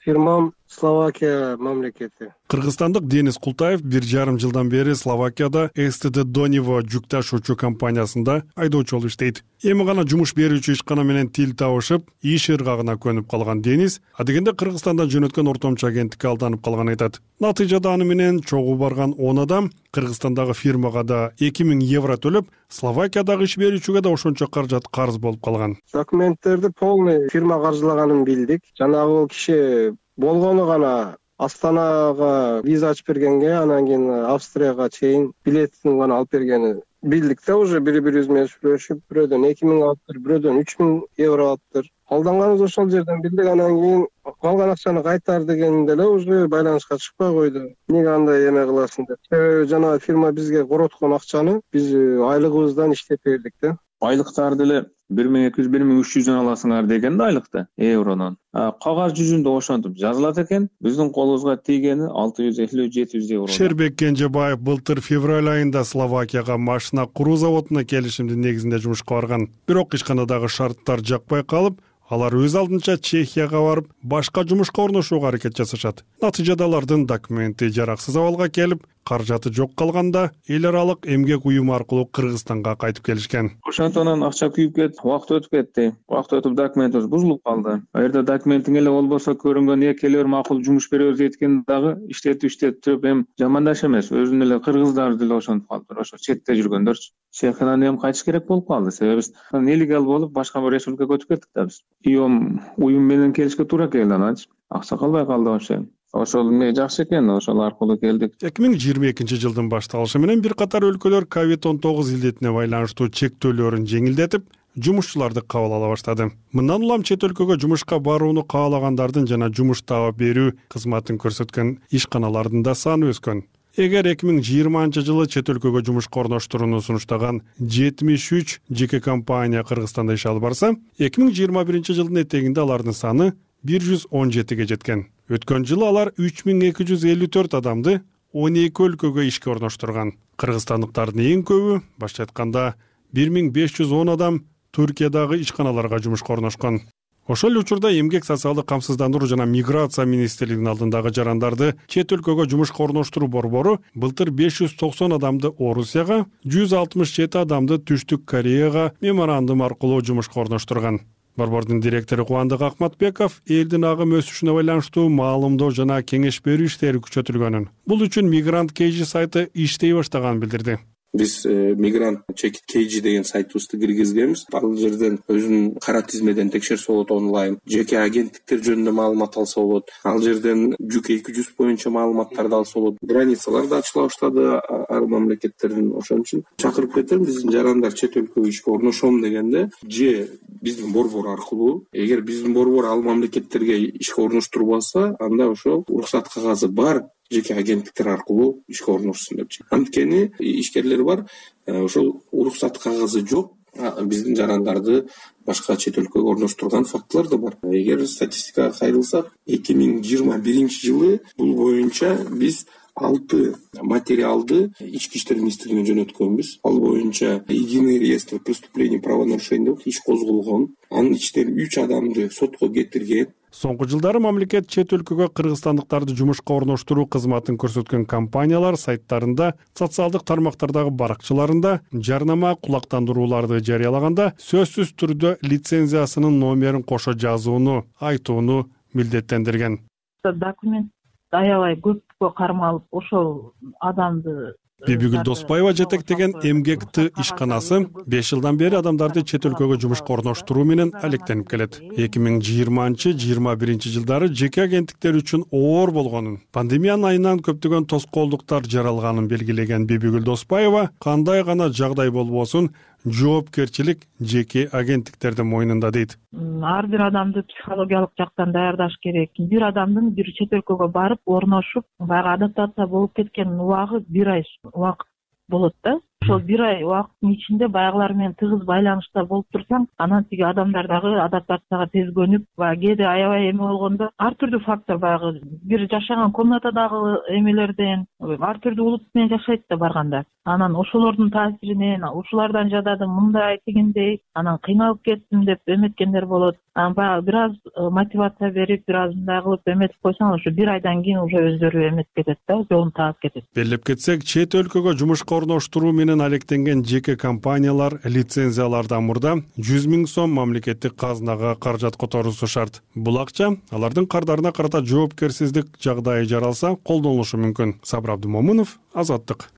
фирмам Словакия мамлекети. Кыргызстандык Денис Култаев 1,5 жылдан бери Словакияда СТД Донево жүк ташуучу компаниясында айдоочу болуп иштейт. Эми гана жумуш берүүчү ишкана менен тил табышып, иш ыргагына көнүп калган Денис адегенде Кыргызстандан жөнөткөн ортомчу агенттикке алданып калган айтат. Натыйжада аны менен чогуу барган 10 адам Кыргызстандагы фирмага да 2000 евро төлөп, Словакиядагы иш берүүчүгө да ошончо каражат карыз болуп калган. Документтерди полный фирма каржылаганын билдик. Жанагы киши болгону гана Астанага виза ачып бергенге, анан кийин Австрияга чейин билетин гана алып бергени билдик да, уже бири-бирибиз менен сүйлөшүп, бирөөдөн 2000 алыптыр, бирөөдөн 3000 евро алыптыр. Алданганыбыз ошол жерден билдик, анан кийин калган акчаны кайтар дегенде эле уже байланышка чыкпай койду. Эмнеге андай эме кыласың деп. Себеби жанагы фирма бизге короткон акчаны биз айлыгыбыздан иштеп бердик да. айлыктар деле 1200-1300 аласыңар деген да айлыкты евронун. Кагаз жүзүндө ошентип жазылат экен. Биздин колубузга тийгени 650-700 евро. Шербек Кенжебаев былтыр февраль айында Словакияга машина куруу заводуна келишимдин негизинде жумушка барган. Бирок ишканадагы шарттар жакпай калып, алар өз алдынча Чехияга барып, башка жумушка орношууга аракет жасашат. Натыйжада алардын документи жараксыз абалга келип, каражаты жок калганда эл аралык эмгек уюму аркылуу Кыргызстанга кайтып келишкен. Ошондон акча күйүп кетти, убакыт өтүп кетти. Убакыт өтүп документибиз бузулуп калды. Аерде документиң эле болбосо көрүнгөн келер макул жумуш беребиз дейткени дагы иштетип эми жамандаш эмес. Өзүнүн эле кыргыздар деле ошентип калды. Ошо четте жүргөндөрчү. Чехиядан эми кайтыш керек болуп калды. Себеби биз нелегал болуп башка бир республикага өтүп кеттик да биз. Уюм менен келишке туура келди ананчы. Акча калбай калды ошо. Ошол эмне жакшы экен, ошол аркылуу келдик. 2022 жылдын башталышы менен бир катар өлкөлөр COVID-19 илдетине байланыштуу чектөөлөрүн жеңилдетип, жумушчуларды кабыл ала баштады. Мындан улам чет өлкөгө жумушка барууну каалагандардын жана жумуш таап берүү кызматын көрсөткөн ишканалардын да саны өскөн. Эгер 2020 жылы чет өлкөгө жумушка орноштурууну сунуштаган 73 жеке компания Кыргызстанда иш алып барса, 2021 жылдын этегинде алардын саны 117ге жеткен. Өткөн жылы алар 3254 адамды 12 өлкөгө ишке орноштурган. Кыргызстандыктардын эң көбү, башка айтканда 1510 адам Түркиядагы ишканаларга жумушка орношкон. Ошол учурда эмгек социалдык камсыздандыруу жана миграция министрлигинин алдындагы жарандарды чет өлкөгө жумушка орноштуруу борбору былтыр 590 адамды Орусияга, 167 адамды Түштүк Кореяга меморандум аркылуу жумушка орноштурган. Борбордун директору Кубандык Акматбеков элдин агым өсүшүнө байланыштуу маалымдоо жана кеңеш берүү иштери күчөтүлгөнүн, бул үчүн Мигрант Кейжи сайты иштей баштаганын билдирди. Биз Мигрант Чекит Кейжи деген сайтыбызды киргизгенбиз. Ал жерден өзүнүн кара тизмеден текшерсе болот онлайн. Жеке агенттиктер жөнүндө маалымат алса болот. Ал жерден жүк 200 боюнча маалыматтарды алса болот. Границалар да ачыла баштады ар мамлекеттердин. Ошон үчүн чакырып кетем, биздин жарандар чет өлкөгө ишке орношом дегенде же биздин борбор аркылуу, эгер биздин борбор ал мамлекеттерге ишке орноштурбаса, анда ошо уруксат кагазы бар жеке агенттиктер аркылуу ишке орношсун депчи. Анткени ишкерлер бар, ошол уруксат кагазы жок, биздин жарандарды башка чет өлкөгө орноштурган фактылар да бар. Эгер статистикага кайрылсак, 2021 жылы бул боюнча биз 6 материалды ички иштер министрлигине жөнөткөнбүз. Ал боюнча единый реестр преступлений правонарушений деп иш козголгон. Анын ичинен 3 адамды сотко кетирген. Соңку жылдары мамлекет чет өлкөгө кыргызстандыктарды жумушка орноштуруу кызматын көрсөткөн компаниялар сайттарында, социалдык тармактардагы баракчаларында жарнама кулактандырууларды жарыялаганда сөзсүз түрдө лицензиясынын номерин кошо жазууну, айтууну милдеттендирген. Документ аябай көпкө кармалып, ошол адамды Бибигүл Доспаева жетектеген эмгек Т ишканасы 5 жылдан бери адамдарды чет өлкөгө жумушка орноштуруу менен алектенип келет. 2020-21 жылдары жеке агенттиктер үчүн оор болгонун, пандемиянын айынан көптөгөн тоскоолдуктар жаралганын белгилеген Бибигүл Доспаева кандай гана жагдай болбосун, жоопкерчилик жеке агенттиктердин мойнунда дейт. Ар бир адамды психологиялык жактан даярдаш керек. Бир адамдын бир чет өлкөгө барып орношуп, баягы адаптация болуп кеткен убагы 1 ай убакыт болот да. Ошол 1 ай убакыттын ичинде баягылар менен тыгыз байланышта болуп турсаң, анан тиги адамдар дагы адаптацияга тез көнүп, кээде аябай эме болгондо ар түрдүү фактор баягы бир жашаган комнатадагы эмелерден ар түрдүү улут менен жашайт да барганда. Анан ошолордун таасиринен ушулардан жададым, мындай тигиндей, анан кыйналып кеттим деп эметкендер болот. Анан баягы бир аз мотивация берип, бир аз мындай кылып эметип койсоң, ошо 1 айдан кийин уже өздөрү эметип кетет да, жолун таап кетет. Белгилеп кетсек, чет өлкөгө жумушка орноштуруу менен алектенген жеке компаниялар лицензиялардан мурда 100 000 сом мамлекеттик казынага каражат которуусу шарт. Бул акча алардын кардарына карата жоопкерсиздик жагдайы жаралса колдонулушу мүмкүн. Сабыр Абдымомунов, Азаттык.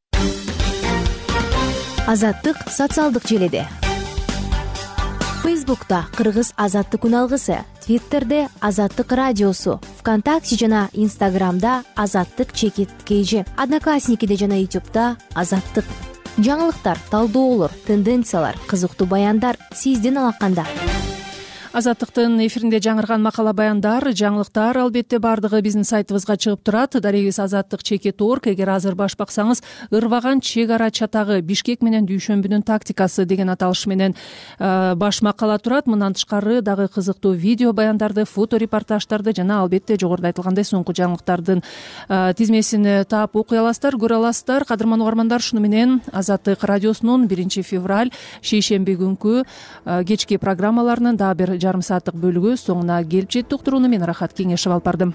Азаттык социалдык желеде. Фейсбукта Кыргыз Азаттык күн алгысы, Твиттерде Азаттык радиосу, ВКонтакте жана Инстаграмда Азаттык Чекит Кейжи, Одноклассникиде жана Ютубта Азаттык. Жаңылыктар, талдоолор, тенденциялар, кызыктуу баяндар сиздин алаканда. Азаттыктын эфиринде жаңырган макала баяндар, жаңылыктар албетте бардыгы биздин сайтыбызга чыгып турат. Дарегиз azаттык.org. Эгер азыр баш баксаңыз, ырваган чек ара чатагы Бишкек менен Дүйшөмбүнүн тактикасы деген аталыш менен баш макала турат. Мындан тышкары дагы кызыктуу видео баяндарды, фото репортаждарды жана албетте жогоруда айтылгандай соңку жаңылыктардын тизмесин таап окуй аласыздар, көрө аласыздар. Кадырман угармандар, шуну менен Азаттык радиосунун 1 февраль шейшемби күнкү кечки программаларынын дагы бир жарым сааттык бөлүгү соңуна келип жетти. Уктурууну мен Рахат Кеңешев алып бардым.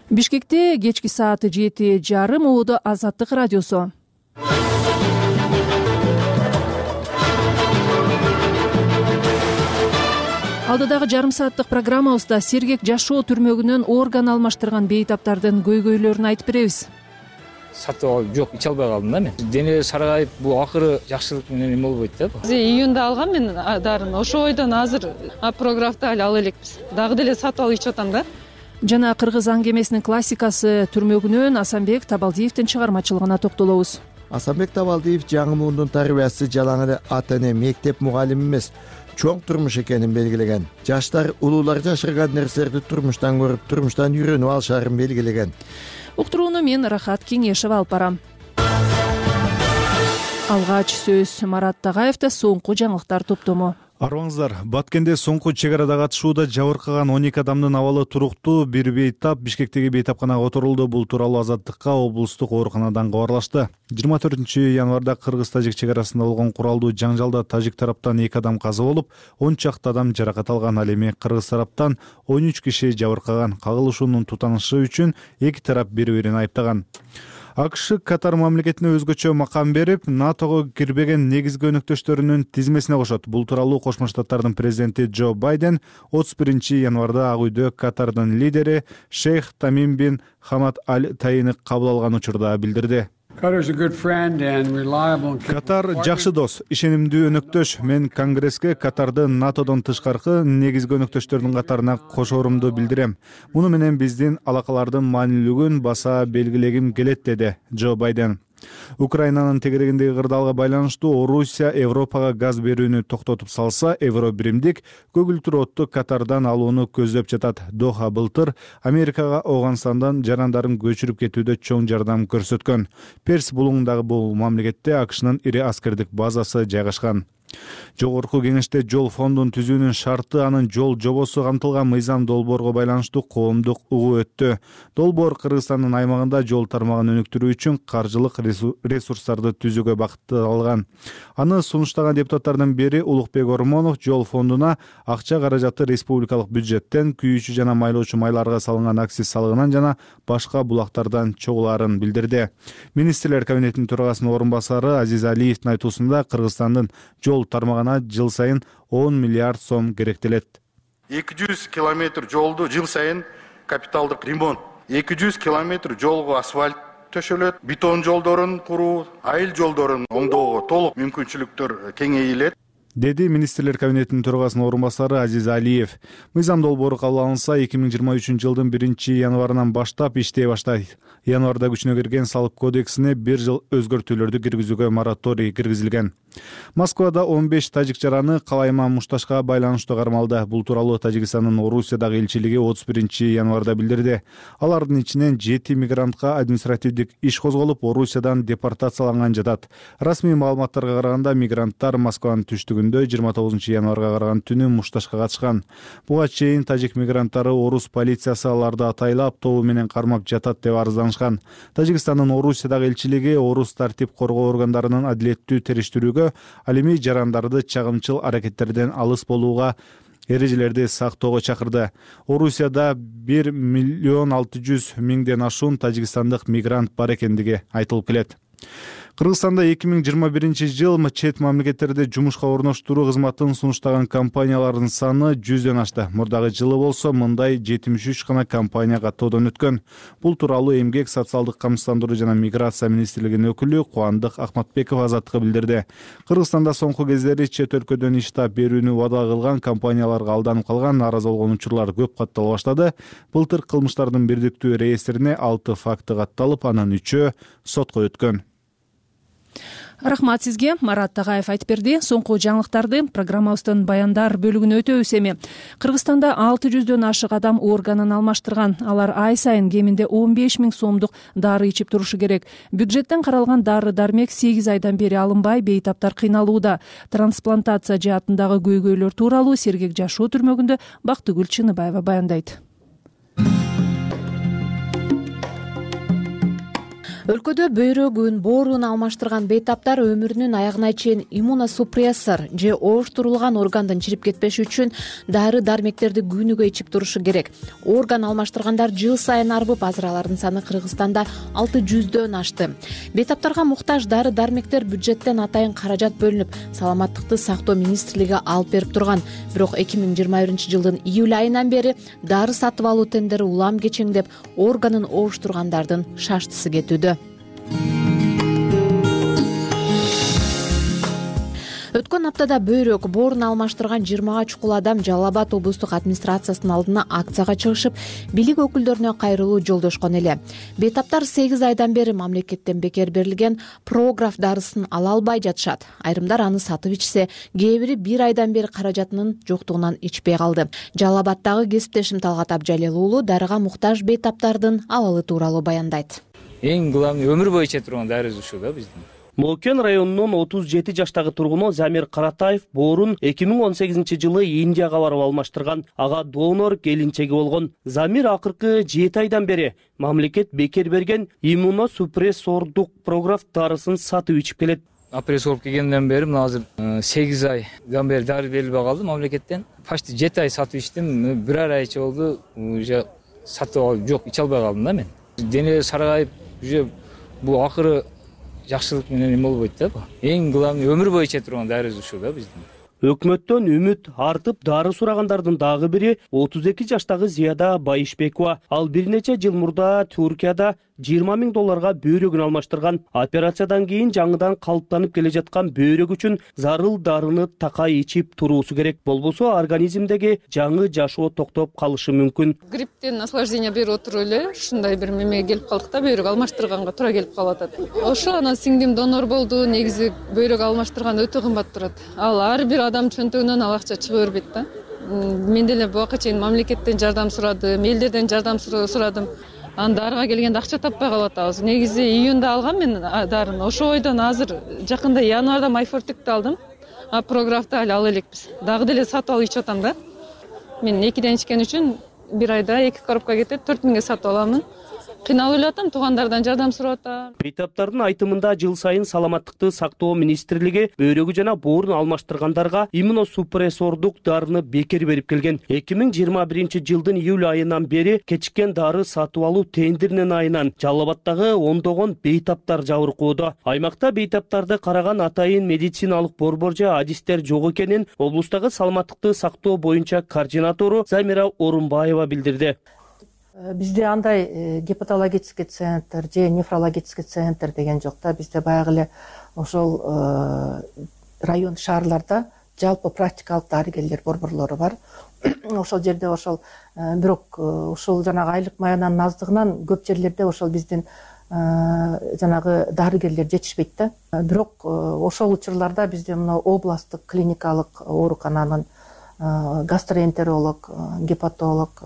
Бишкекте кечки саат 7:30 убуду Азаттык радиосу. Алдыдагы жарым сааттык программабызда сергек жашоо түрмөгүнөн орган алмаштырган бейтаптардын көйгөйлөрүн айтып беребиз. Сатып алып жок, иче албай калдым да мен. Дене саргайып, бул акыры жакшылык менен эме болбойт да. Июнда алгам мен дарын. Ошо ойдон азыр прографта ала элекпиз. Дагы деле сатып алып ичип атам да. Жана кыргыз аңгемесинин классикасы түрмөгүнөн Асанбек Табалдиевдин чыгармачылыгына токтолобуз. Асанбек Табалдиев жаңы муундун тарбиясы жалаң эле ата эне, мектеп мугалими эмес, чоң турмуш экенин белгилеген. Жаштар улуулар жашырган нерселерди турмуштан көрүп, турмуштан үйрөнүп алышарын белгилеген. Уктурууну мен Рахат Кеңешев алып барам. Алгач сөз Марат Тагаевда соңку жаңылыктар топтому. Арыбаңыздар, Баткенде соңку чек арада катышууда жабыркаган 12 адамдын абалы туруктуу. Бир бейтап Бишкектеги бейтапканага отурулду. Бул тууралуу Азаттыкка облустук ооруканадан кабарлашты. 24 январда кыргыз-тажик чек арасында болгон куралдуу жаңжалда тажик тараптан 2 адам каза болуп, 10 чакты адам жаракат алган. Ал эми кыргыз тараптан 13 киши жабыркаган. Кагылышуунун тутанышы үчүн эки тарап бири-бирин айыптаган. АКШ Катар мамлекетине өзгөчө макам берип, НАТОго кирбеген негизги өнөктөштөрүнүн тизмесине кошот. Бул тууралуу Кошмо Штаттардын президенти Джо Байден 31 январда Ак үйдө Катардын лидери Шейх Тамим бин Хамад Аль Таини кабыл алган учурда билдирди. Катар жакшы дос, ишенимдүү өнөктөш. Мен Конгресске Катарды НАТОдон тышкаркы негизги өнөктөштөрдүн катарына кошоорумду билдирем. Муну менен биздин алакалардын маанилүүлүгүн баса белгилегим келет, деди Джо Байден. Украинанын тегерегиндеги кырдаалга байланыштуу Орусия Европага газ берүүнү токтотуп салса, Евробиримдик көгүлтүр отту Катардан алууну көздөп жатат. Доха былтыр Америкага Афганистандан жарандарын көчүрүп кетүүдө чоң жардам көрсөткөн. Перс булуңундагы бул мамлекетте АКШнын ири аскердик базасы жайгашкан. Жогорку кеңеште жол фондун түзүүнүн шарты, анын жол жобосу камтылган мыйзам долбоорго байланыштуу коомдук угуу өттү. Долбоор Кыргызстандын аймагында жол тармагын өнүктүрүү үчүн каржылык ресурстарды түзүүгө багытталган. Аны сунуштаган депутаттардын бири Улукбек Ормонов жол фондуна акча каражаты республикалык бюджеттен, күйүүчү жана майлоочу майларга салынган акциз салыгынан жана башка булактардан чогулаарын билдирди. Министрлер кабинетинин төрагасынын орун басары Азиз Алиевдин айтуусунда Кыргызстандын жол тармагына жыл сайын 10 миллиард сом керектелет. 200 километр жолду жыл сайын капиталдык ремонт, 200 километр жолго асфальт төшөлөт, бетон жолдорун куруу, айыл жолдорун оңдоого толук мүмкүнчүлүктөр кеңейлет, деди Министрлер кабинетинин төрагасынын орун басары Азиз Алиев. Мыйзам долбоору кабыл алынса, 2023 жылдын 1 январынан баштап иштей баштайт. Январда күчүнө кирген салык кодексине 1 жыл өзгөртүүлөрдү киргизүүгө мораторий киргизилген. Москвада 15 тажик жараны Калайман Мушташка байланыштуу кармалды. Бул тууралуу Тажикстандын Орусиядагы элчилиги 31 январда билдирди. Алардын ичинен 7 мигрантка административдик иш козголуп, Орусиядан депортацияланган жатат. Расмий маалыматтарга караганда, мигранттар Москванын түштүгүндө 29 январга караган түнү Мушташка катышкан. Буга чейин тажик мигранттары орус полициясы аларды атайлап, тобу менен кармап жатат деп арызданышкан. Тажикстандын Орусиядагы элчилиги орус тартип коргоо органдарынын адилеттүү териштирүүгө, ал эми жарандарды чагымчыл аракеттерден алыс болууга, эрежелерди сактоого чакырды. Орусияда 1,6 миллион ашуун тажикстандык мигрант бар экендиги айтылып келет. Кыргызстанда 2021 чет мамлекеттерде жумушка орноштуруу кызматын сунуштаган компаниялардын саны 100дөн ашты. Мурдагы жылы болсо мындай 73 гана компания каттоодон өткөн. Бул тууралуу Эмгек, социалдык камсыздандыруу жана миграция министрлигинин өкүлү Кубандык Акматбеков Азаттыкка билдирди. Кыргызстанда соңку кездери чет өлкөдөн иш таап берүүнү убада кылган компанияларга алданып калган, нааразы болгон учурлар көп каттала баштады. Былтыр кылмыштардын бирдиктүү реестрине 6 факты катталып, анын 3-өө сотко өткөн. Рахмат сизге, Марат Тагаев айтып берди. Соңку жаңылыктарды программабыздын баяндар бөлүгүнө өтөбүз эми. Кыргызстанда 600дөн ашык адам органын алмаштырган. Алар ай сайын кеминде 15 000 сомдук дары ичип турушу керек. Бюджеттен каралган дары-дармек 8 айдан бери алынбай, бейтаптар кыйналууда. Трансплантация жаатындагы көйгөйлөр тууралуу Сергек жашоо түрмөгүндө Бактыгүл Чыныбаева баяндайт. Өлкөдө бөйрөгүн, бооруун алмаштырган бейтаптар өмүрүнүн аягына чейин иммуносупрессор же ооштурулган органдын чирип кетпеши үчүн дары-дармектерди күнүгө ичип турушу керек. Орган алмаштыргандар жыл сайын арбып, азыр алардын саны Кыргызстанда 600дөн ашты. Бейтаптарга муктаж дары-дармектер бюджеттен атайын каражат бөлүнүп, саламаттыкты сактоо министрлиги алып берип турган. Бирок 2021 жылдын июль айынан бери дары сатып алуу тендери улам кечеңдеп, органын ооштургандардын шаштысы кетүүдө. Өткөн аптада бөйрөк, боорун алмаштырган 20га чукул адам Жалал Абад облустук администрациясынын алдына акцияга чыгышып, бийлик өкүлдөрүнө кайрылуу жолдошкон эле. Бейтаптар 8 айдан бери мамлекеттен бекер берилген програф дарысын ала албай жатышат. Айрымдар аны сатып ичсе, кээ бири 1 айдан бери каражатынын жоктугунан ичпей калды. Жалал Абаддагы кесиптешим Талгат Абжалил уулу дарыга муктаж бейтаптардын абалы тууралуу баяндайт. Эң главный өмүр бою иче турган дары ушул да биздин. Молкен районунун 37 жаштагы тургуну Замир Каратаев боорун 2018 жылы Индияга барып алмаштырган. Ага донор келинчеги болгон. Замир акыркы 7 айдан бери мамлекет бекер берген иммуносупрессордук програф дарысын сатып ичип келет. Операция болуп келгенден бери мына азыр 8 айдан бери дары берилбей калды мамлекеттен. Почти 7 ай сатып ичтим, 1 ай ичип болду, уже сатып алып жок, иче албай калдым да мен. Дене саргайып, уже бул акыры жакшылык менен эме болбойт да. Эң главный өмүр бою иче турган дары ушул да биздин. Өкмөттөн үмүт артып, дары сурагандардын дагы бири 32 жаштагы Зияда Байышбекова. Ал бир нече жыл мурда Туркияда $20,000 бөйрөгүн алмаштырган. Операциядан кийин жаңыдан калыптанып келе жаткан бөйрөк үчүн зарыл дарыны такай ичип туруусу керек. Болбосо организмдеги жаңы жашоо токтоп калышы мүмкүн. Грипптен наслаждение берип отуруп эле ушундай бир мемеге келип калдык да, бөйрөк алмаштырганга туура келип калып атат. Ошо анан сиңдим донор болду. Негизи бөйрөк алмаштырган өтө кымбат турат. Ал ар бир адам чөнтөгүнөн ал акча чыга бербейт да. Мен деле буга чейин мамлекеттен жардам сурадым, элдерден жардам сурадым. Анан дарыга келгенде акча таппай калып атабыз. Негизи июнда алгам мен дарыны. Ошо ойдон азыр жакында январда майфортикти алдым. Прографты али ала элекпиз. Дагы деле сатып алып ичип атам да. Мен 2ден ичкен үчүн 1 айда 2 коробка кетет, 4000ге сатып аламын. Кыйналып эле атам, туугандардан жардам сурап атам. Бейтаптардын айтымында жыл сайын саламаттыкты сактоо министрлиги бөйрөгү жана боорун алмаштыргандарга иммуносупрессордук дарыны бекер берип келген. 2021 жылдын июль айынан бери кечиккен дары сатып алуу тендеринин айынан Жалал Абаддагы ондогон бейтаптар жабыркоодо. Аймакта бейтаптарды караган атайын медициналык борбор же адистер жок экенин облустагы саламаттыкты сактоо боюнча координатору Замира Орунбаева билдирди. Бизде андай гепатологический центр же нефрологический центр деген жок да. Бизде баягы эле ошол район шаарларда жалпы практикалык дарыгерлер борборлору бар. Ошол жерде ошол бирок ушул жанагы айлык маянанын аздыгынан көп жерлерде ошол биздин жанагы дарыгерлер жетишпейт да. Бирок ошол учурларда бизде мына областтык клиникалык оорукананын гастроэнтеролог, гепатолог,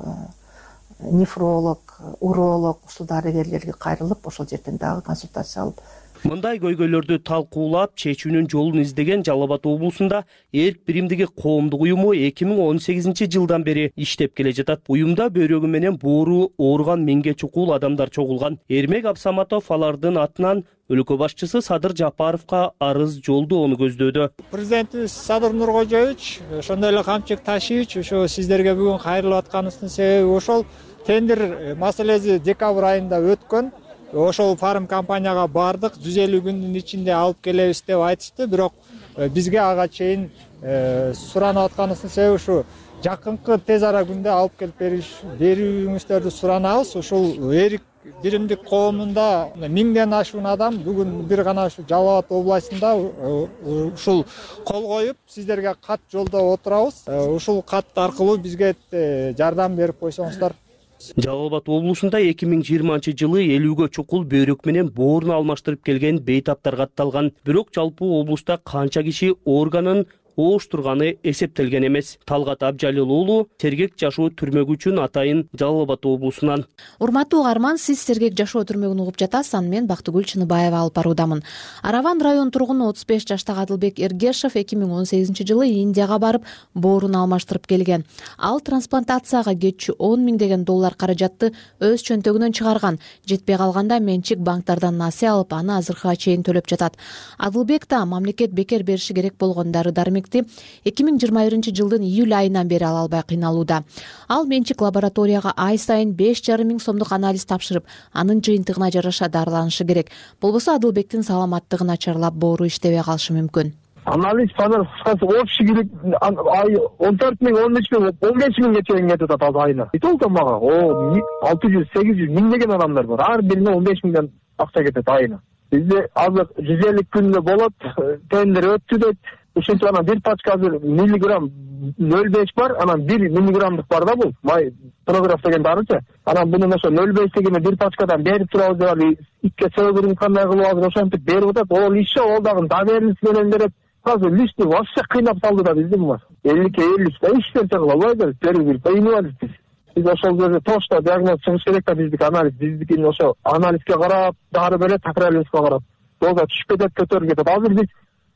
нефролог, уролог ушул дарыгерлерге кайрылып, ошол жерден дагы консультация алып. Мындай көйгөйлөрдү талкуулап, чечүүнүн жолун издеген Жалал Абад облусунда Эрк биримдиги коомдук уюму 2018 жылдан бери иштеп келе жатат. Уюмда бөйрөгү менен боору ооруган 1000ге чукул адамдар чогулган. Эрмек Абсаматов алардын атынан өлкө башчысы Садыр Жапаровго арыз жолдоону көздөдү. Президентибиз Садыр Нуркожоевич, ошондой эле Камчык Ташиевич, ошо сиздерге бүгүн кайрылып атканыбыздын себеби ошол тендер маселеси декабрь айында өткөн. ошол фарм компанияга бардык, 150 күндүн ичинде алып келебиз деп айтышты. Бирок бизге ага чейин суранып атканыбыздын себеби ушу жакынкы тез ара күндө алып келип берүүңүздөрдү суранабыз. Ушул эрик биримдик коомунда 1000ден ашуун адам бүгүн бир гана ушу Жалал Абад областында ушул кол коюп сиздерге кат жолдоп отурабыз. Ушул кат аркылуу бизге жардам берип койсоңуздар. Жалал Абад облусунда 2020-жылы 50гө чукул бөйрөк менен боорун алмаштырып келген бейтаптар катталган. Бирок жалпы облуста канча киши органын ооштурганы эсептелген эмес. Талгат Абжалил уулу Сергек жашоо түрмөгү үчүн атайын Жалал Абад облусунан. Урматтуу угарман, сиз Сергек жашоо түрмөгүн угуп жатасыз. Аны мен Бактыгүл Чыныбаева алып баруудамын. Араван район тургуну 35 жаштагы Адылбек Эргешев 2018-жылы Индияга барып боорун алмаштырып келген. Ал трансплантацияга кетчү $10,000 каражатты өз чөнтөгүнөн чыгарган. Жетпей калганда менчик банктардан насыя алып, аны азыркыга чейин төлөп жатат. Адылбек да мамлекет бекер бериши керек болгон дары-дармекти 2021-жылдын июль айынан бери ала албай кыйналууда. Ал менчик лабораторияга ай сайын 5,5 миң сомдук анализ тапшырып, анын жыйынтыгына жараша дарыланышы керек. Болбосо Адылбектин саламаттыгы начарлап, боору иштебей калышы мүмкүн. Анализ кыскасы общий керек ай 14 миң, 13 миң, 15 миңге чейин кетип атат айына. Толтон мага 600-800 миңдеген адамдар бар. Ар бирине 15 миңден акча кетет айына. Бизде азыр 150 күндө болот, тендер өттү дейт. Ушинтип анан бир пачка азыр миллиграмм 0,5 бар, анан 1 миллиграммдык бар да бул. Май програф деген дарычы. Анан муну ошо 0,5 дегенде бир пачкадан берип турабыз деп алып итке сөөгүрүн кандай кылып азыр ошентип берип атат. Ол иши ол дагы доверенность менен берет. Азыр лишний вообще кыйнап салды да бизди булар. 50 да иштерсе кыла албайбыз, берип кыйнабыз биз. Биз ошол жерде точно диагноз чыгыш керек да биздики анализ. Биздикин ошо анализге карап, дары берет, такралыбызга карап. Доза түшүп кетет, көтөрүп кетет. Азыр биз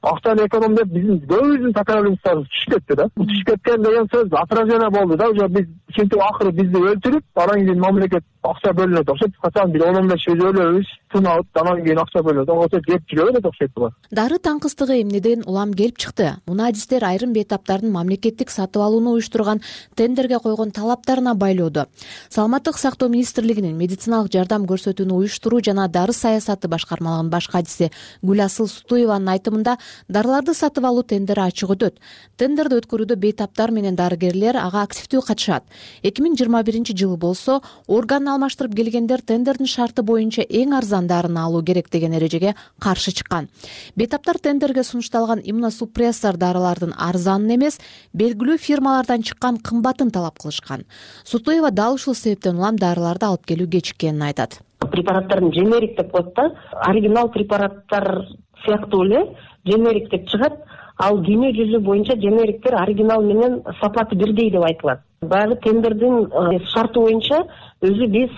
акчаны эконом деп биздин көбүбүздүн такралыбыздарыбыз түшүп кетти да. Түшүп кеткен деген сөз отражение болду да. Уже биз ушинтип акыры бизди өлтүрүп, анан кийин мамлекет акча бөлүнөт. Ошентип качан бир 10-15 жыл өлөбүз, тынабыз, анан кийин акча бөлүнөт. Ошентип кеп жүрө берет окшойт булар. Дары таңкыстыгы эмнеден улам келип чыкты? Муну адистер айрым бейтаптардын мамлекеттик сатып алууну уюштурган тендерге койгон талаптарына байлоодо. Саламаттык сактоо министрлигинин медициналык жардам көрсөтүүнү уюштуруу жана дары саясаты башкармалыгынын баш катчысы Гүласыл Сутуеванын айтымында, дарыларды сатып алуу тендери ачык өтөт. Тендерди өткөрүүдө бейтаптар менен дарыгерлер ага активдүү катышат. 2021-жылы болсо, орган алмаштырып келгендер тендердин шарты боюнча эң арзан дарыны алуу керек деген эрежеге каршы чыккан. Бейтаптар тендерге сунушталган иммуносупрессор дарылардын арзанын эмес, белгилүү фирмалардан чыккан кымбатын талап кылышкан. Сутуева дал ушул себептен улам дарыларды алып келүү кечиккенин айтат. Препараттардын дженерик деп коет да, оригинал препараттар сыяктуу эле дженерик деп чыгат. Ал дүйнө жүзү боюнча дженериктер оригинал менен сапаты бирдей деп айтылат. Баягы тендердин шарты боюнча өзү биз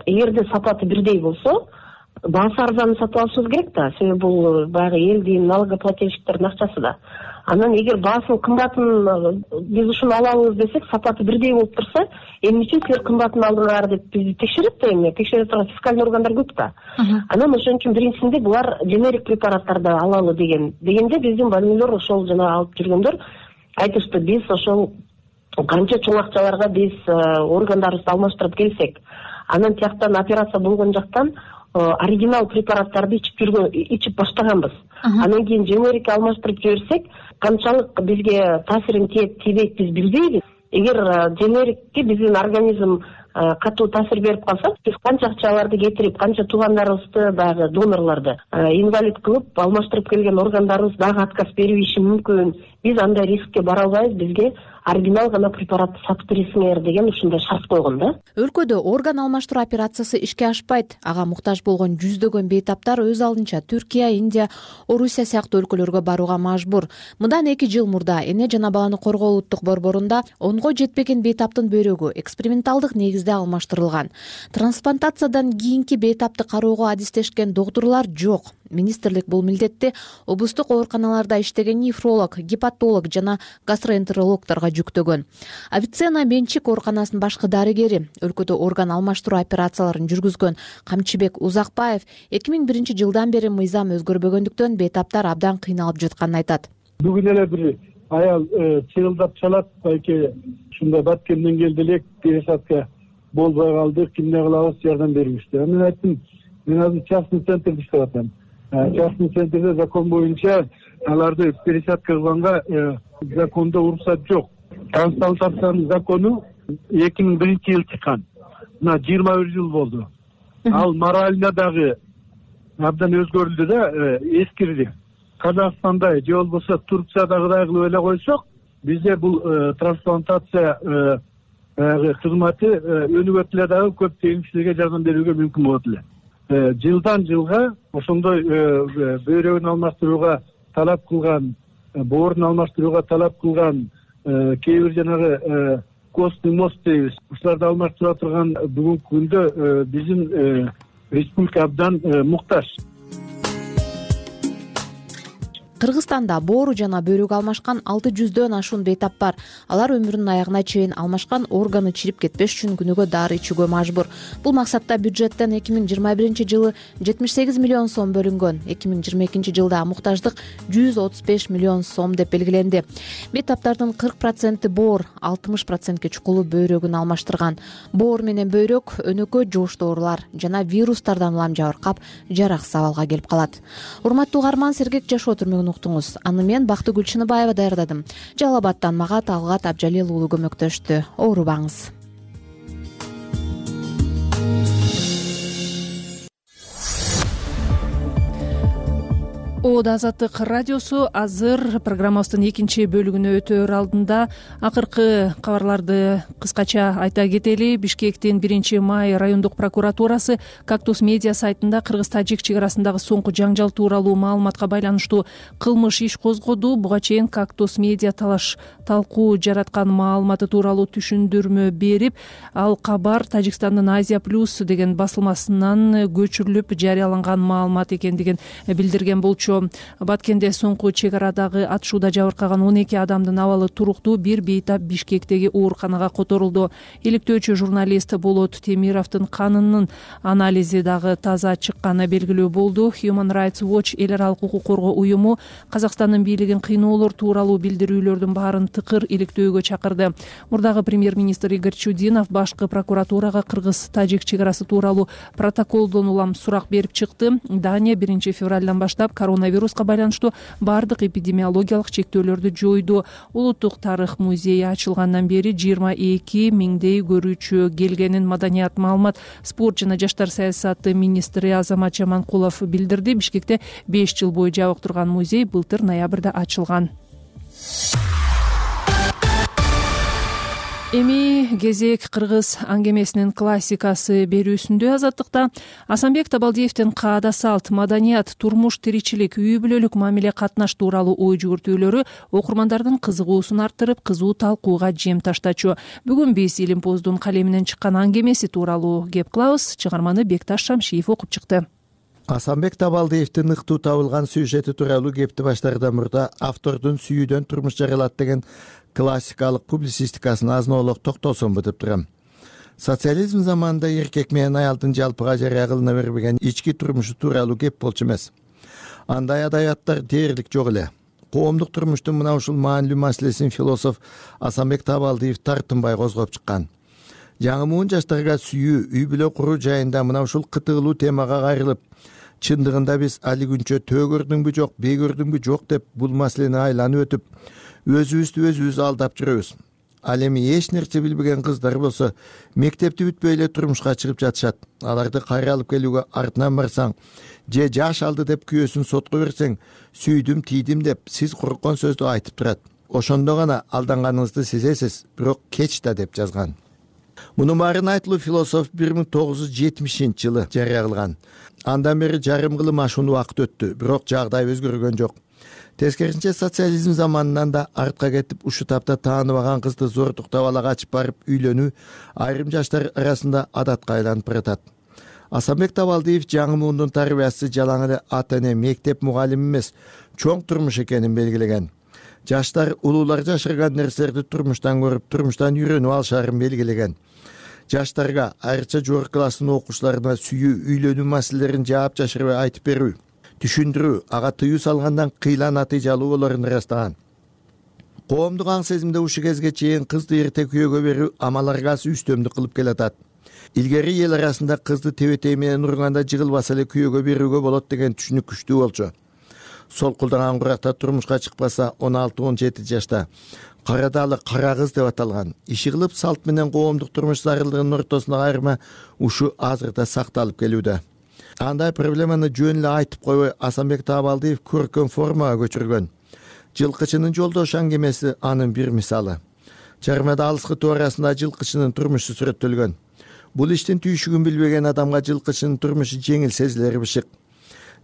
эгерде сапаты бирдей болсо, баасы арзанын сатып алышыбыз керек да. Себеби бул баягы элдин налогоплательщиктердин акчасы да. Анан эгер баасын кымбатын биз ушуну алабыз десек, сапаты бирдей болуп турса, эмне үчүн силер кымбатын алдыңар деп бизди текшерет да, эми текшере турган фискальный органдар көп да. Анан ошон үчүн биринчисинде булар дженерик препараттарды алалы дегенде биздин больнойлор ошол жана алып жүргөндөр айтышты, биз ошол канча чоң акчаларга биз органдарыбызды алмаштырып келсек, анан тияктан операция болгон жактан оригинал препараттарды ичип баштаганбыз. Анан кийин дженерик алмаштырып жиберсек, канчалык бизге таасирин тийбейт биз билбейбиз. Эгер дженерикке биздин организм катуу таасир берип калса, биз канча акчаларды кетирип, канча туугандарыбызды, баягы донорлорду инвалид кылып, алмаштырып келген органдарыбыз дагы отказ бериши мүмкүн. Биз андай рискке бара албайбыз, бизге оригинал гана препаратты сатып бересиңер деген ушундай шарт койгон да. Өлкөдө орган алмаштыруу операциясы ишке ашпайт. Ага муктаж болгон жүздөгөн бейтаптар өз алдынча Түркия, Индия, Орусия сыяктуу өлкөлөргө барууга мажбур. Мындан 2 жыл мурда Эне жана баланы коргоо улуттук борборунда 10го жетпеген бейтаптын бөйрөгү эксперименталдык негизде алмаштырылган. Трансплантациядан кийинки бейтапты кароого адистешкен доктурлар жок. Министрлик бул милдетти облустук ооруканаларда иштеген нефролог, гепатолог жана гастроэнтерологторго жүктөгөн. Авиценна менчик ооруканасынын башкы дарыгери, өлкөдө орган алмаштыруу операцияларын жүргүзгөн Камчыбек Узакбаев 2001-жылдан бери мыйзам өзгөрбөгөндүктөн бейтаптар абдан кыйналып жатканын айтат. Бүгүн эле бир аял чыгылдап чалат, байке ушундай Баткенден келди элек, пересадка болбой калды, кимне кылабыз, жардам бериңизчи. Мен айттым, мен азыр частный центрде иштеп атам. Частный центрде закон боюнча аларды пересадка кылганга закондо уруксат жок. Трансплантациянын закону 2001-жылы чыккан. Мына 21 жыл болду. Ал морально дагы абдан өзгөрүлдү да, эскирди. Казакстанда же болбосо Турциядагыдай кылып эле койсок, бизде бул трансплантация кызматы өнүгөт эле дагы көптөгөн кишилерге жардам берүүгө мүмкүн болот эле. Жылдан жылга ошондой бөйрөгүн алмаштырууга талап кылган, боорун алмаштырууга талап кылган кээ бир жанагы костный мост дейбиз. Ушуларды алмаштыра турган бүгүнкү күндө биздин республика абдан муктаж. Кыргызстанда боору жана бөйрөк алмашкан 600дөн ашуун бейтап бар. Алар өмүрүнүн аягына чейин алмашкан органы чирип кетпеш үчүн күнүгө дары ичүүгө мажбур. Бул максатта бюджеттен 2021-жылы 78 миллион сом бөлүнгөн. 2022-жылда муктаждык 135 миллион сом деп белгиленди. Бейтаптардын 40% боор, 60%ке чукулу бөйрөгүн алмаштырган. Боор менен бөйрөк өнөкө жугуштуу оорулар жана вирустардан улам жабыркап, жараксыз абалга келип калат. Урматтуу угарман, сергек жашоо түрмөгүн уктуңуз. Аны мен Бактыгүл Чыныбаева даярдадым. Жалал Абадтан мага Талгат Абжалил уулу көмөктөштү. Оорубаңыз. Азаттык радиосу азыр программабыздын экинчи бөлүгүнө өтөр алдында акыркы кабарларды кыскача айта кетели. Бишкектин 1-май райондук прокуратурасы Кактус медиа сайтында кыргыз-тажик чек арасындагы соңку жаңжал тууралуу маалыматка байланыштуу кылмыш иш козгоду. Буга чейин Кактус медиа талкуу жараткан маалыматы тууралуу түшүндүрмө берип, ал кабар Тажикстандын Азия Плюс деген басылмасынан көчүрүлүп жарыяланган маалымат экендигин билдирген болчу. Баткенде соңку чек арадагы атышууда жабыркаган 12 адамдын абалы туруктуу. Бир бейтап Бишкектеги ооруканага которулду. Иликтөөчү журналист Болот Темировдун канынын анализи дагы таза чыкканы белгилүү болду. Human Rights Watch эл аралык укук коргоо уюму Казакстандын бийлигин кыйноолор тууралуу билдирүүлөрдүн баарын тыкыр иликтөөгө чакырды. Мурдагы премьер-министр Игорь Чудинов башкы прокуратурага кыргыз-тажик чек арасы тууралуу протоколдон улам сурак берип чыкты. Дания 1-февралдан баштап коронавируска байланыштуу бардык эпидемиологиялык чектөөлөрдү жойду. Улуттук тарых музейи ачылгандан бери 22 миңдей көрүүчү келгенин Маданият, маалымат, спорт жана жаштар саясаты министри Азамат Жаманкулов билдирди. Бишкекте 5 жыл бою жабык турган музей былтыр ноябрда ачылган. Эми кезек кыргыз аңгемесинин классикасы берүүсүндө. Азаттыкта Асанбек Табалдиевдин Каада салт, маданият, турмуш, тиричилик, үй бүлөлүк мамиле, катнаш тууралуу ой жүгүртүүлөрү окурмандардын кызыгуусун арттырып, кызуу талкууга жем таштачу. Бүгүн биз Илимпоздун калеминен чыккан аңгемеси тууралуу кеп кылабыз. Чыгарманы Бекташ Шамшиев окуп чыкты. Асанбек Табалдиевдин ыктуу табылган сюжети тууралуу кепти баштаардан мурда автордун сүйүүдөн турмуш жаралат деген классикалык публицистикасын азын-оолок токтолсомбу деп турам. Социализм заманында эркек менен аялдын жалпыга жарыя кылына бербеген ички турмушу тууралуу кеп болчу эмес. Андай адабияттар дээрлик жок эле. Коомдук турмуштун мына ушул маанилүү маселесин философ Асанбек Табалдиев тартынбай козгоп чыккан. Жаңы муун жаштарга сүйүү, үй бүлө куруу жайында мына ушул кытыгылуу темага кайрылып, чындыгында биз али күнчө төө көрдүңбү жок, бей көрдүңбү жок деп бул маселени айланып өтүп, өзүбүз алдап жүрөбүз. Ал эми эч нерсе билбеген кыздар болсо мектепти бүтпөй эле турмушка чыгып жатышат. Аларды кайра алып келүүгө артынан барсаң, же жаш алды деп күйөөсүн сотко берсең, сүйдүм, тийдим деп сиз корккон сөздү айтып турат. Ошондо гана алданганыңызды сезесиз, бирок кеч да деп жазган. Мунун баарын айтылуу философ 1970-жылы жарыя кылган. Андан бери жарым кылым ашуун убакыт өттү, бирок жагдай өзгөргөн жок. Тескерисинче социализм заманынан да артка кетип, ушу тапта тааныбаган кызды зордуктап ала качып барып үйлөнүү айрым жаштар арасында адатка айланып баратат. Асанбек Табалдиев жаңы муундун тарбиясы жалаң эле ата эне, мектеп мугалими эмес, чоң турмуш экенин белгилеген. Жаштар улуулар жашырган нерселерди турмуштан көрүп, турмуштан үйрөнүп алышаарын белгилеген. Жаштарга, айрыкча жогорку класстын окуучуларына сүйүү, үйлөнүү маселелерин жаап жашырбай айтып берүү, түшүндүрүү, ага тыюу салгандан кыйла натыйжалуу болоорун ырастаган. Коомдук аң сезимде ушу кезге чейин кызды эрте күйөөгө берүү амал аргасы үстөмдүк кылып келатат. Илгери эл арасында кызды тебетей менен урганда жыгылбаса эле күйөөгө берүүгө болот деген түшүнүк күчтүү болчу. Сол кулдаган куракта турмушка чыкпаса 16-17 жашта карадалы кара кыз деп аталган. Иши кылып салт менен коомдук турмуш зарылдыгынын ортосундагы айырма ушу азырда сакталып келүүдө. Андай проблеманы жөн эле айтып койбой Асанбек Таабалдиев көркөм формага көчүргөн. Жылкычынын жолдошу аңгемеси анын бир мисалы. Чармада алыскы тоо арасында жылкычынын турмушу сүрөттөлгөн. Бул иштин түйшүгүн билбеген адамга жылкычынын турмушу жеңил сезилери бышык.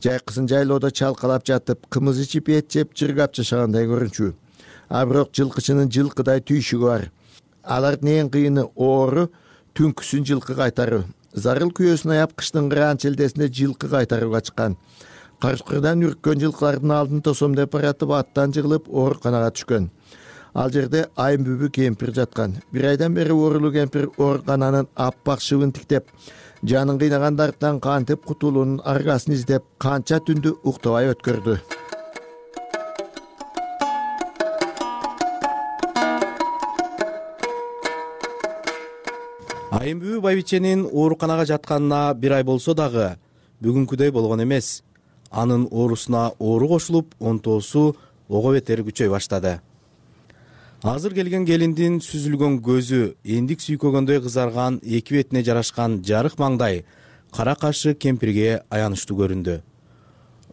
Жайкысын жайлоодо чалкалап жатып, кымыз ичип, эт жеп, жыргап жашагандай көрүнчү. А бирок жылкычынын жылкыдай түйшүгү бар. Алардын эң кыйыны оору, түнкүсүн жылкы кайтаруу. Зарыл күйөөсүн аяп кыштын кыраан челдесинде жылкы кайтарууга чыккан. Карчкырдан үрккөн жылкылардын алдын тосом деп баратып аттан жыгылып ооруканага түшкөн. Ал жерде Айымбүбү кемпир жаткан. Бир айдан бери оорулуу кемпир оорукананын аппак шыбын тиктеп, жанын кыйнагандардан кантип кутулуунун аргасын издеп, канча түндү уктабай өткөрдү. Айымбүбү байбиченин ооруканага жатканына бир ай болсо дагы бүгүнкүдөй болгон эмес. Анын оорусуна оору кошулуп, онтоосу ого бетер күчөй баштады. Азыр келген келиндин сүзүлгөн көзү, эндик сүйкөгөндөй кызарган эки бетине жарашкан жарык маңдай кара кашы кемпирге аянычтуу көрүндү.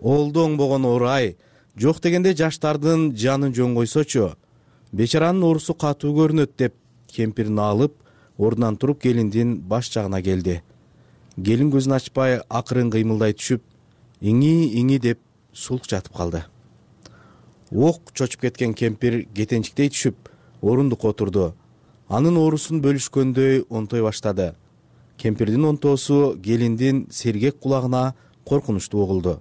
Олду оңбогон оору-ай, жок дегенде жаштардын жанын жөн койсочу. Бечаранын оорусу катуу көрүнөт деп кемпирин алып, ордунан туруп келиндин баш жагына келди. Келин көзүн ачпай акырын кыймылдай түшүп, иңи деп сулк жатып калды. Ок чочуп кеткен кемпир кетенчиктей түшүп, орундукка отурду. Анын оорусун бөлүшкөндөй онтой баштады. Кемпирдин онтоосу келиндин сергек кулагына коркунучтуу угулду.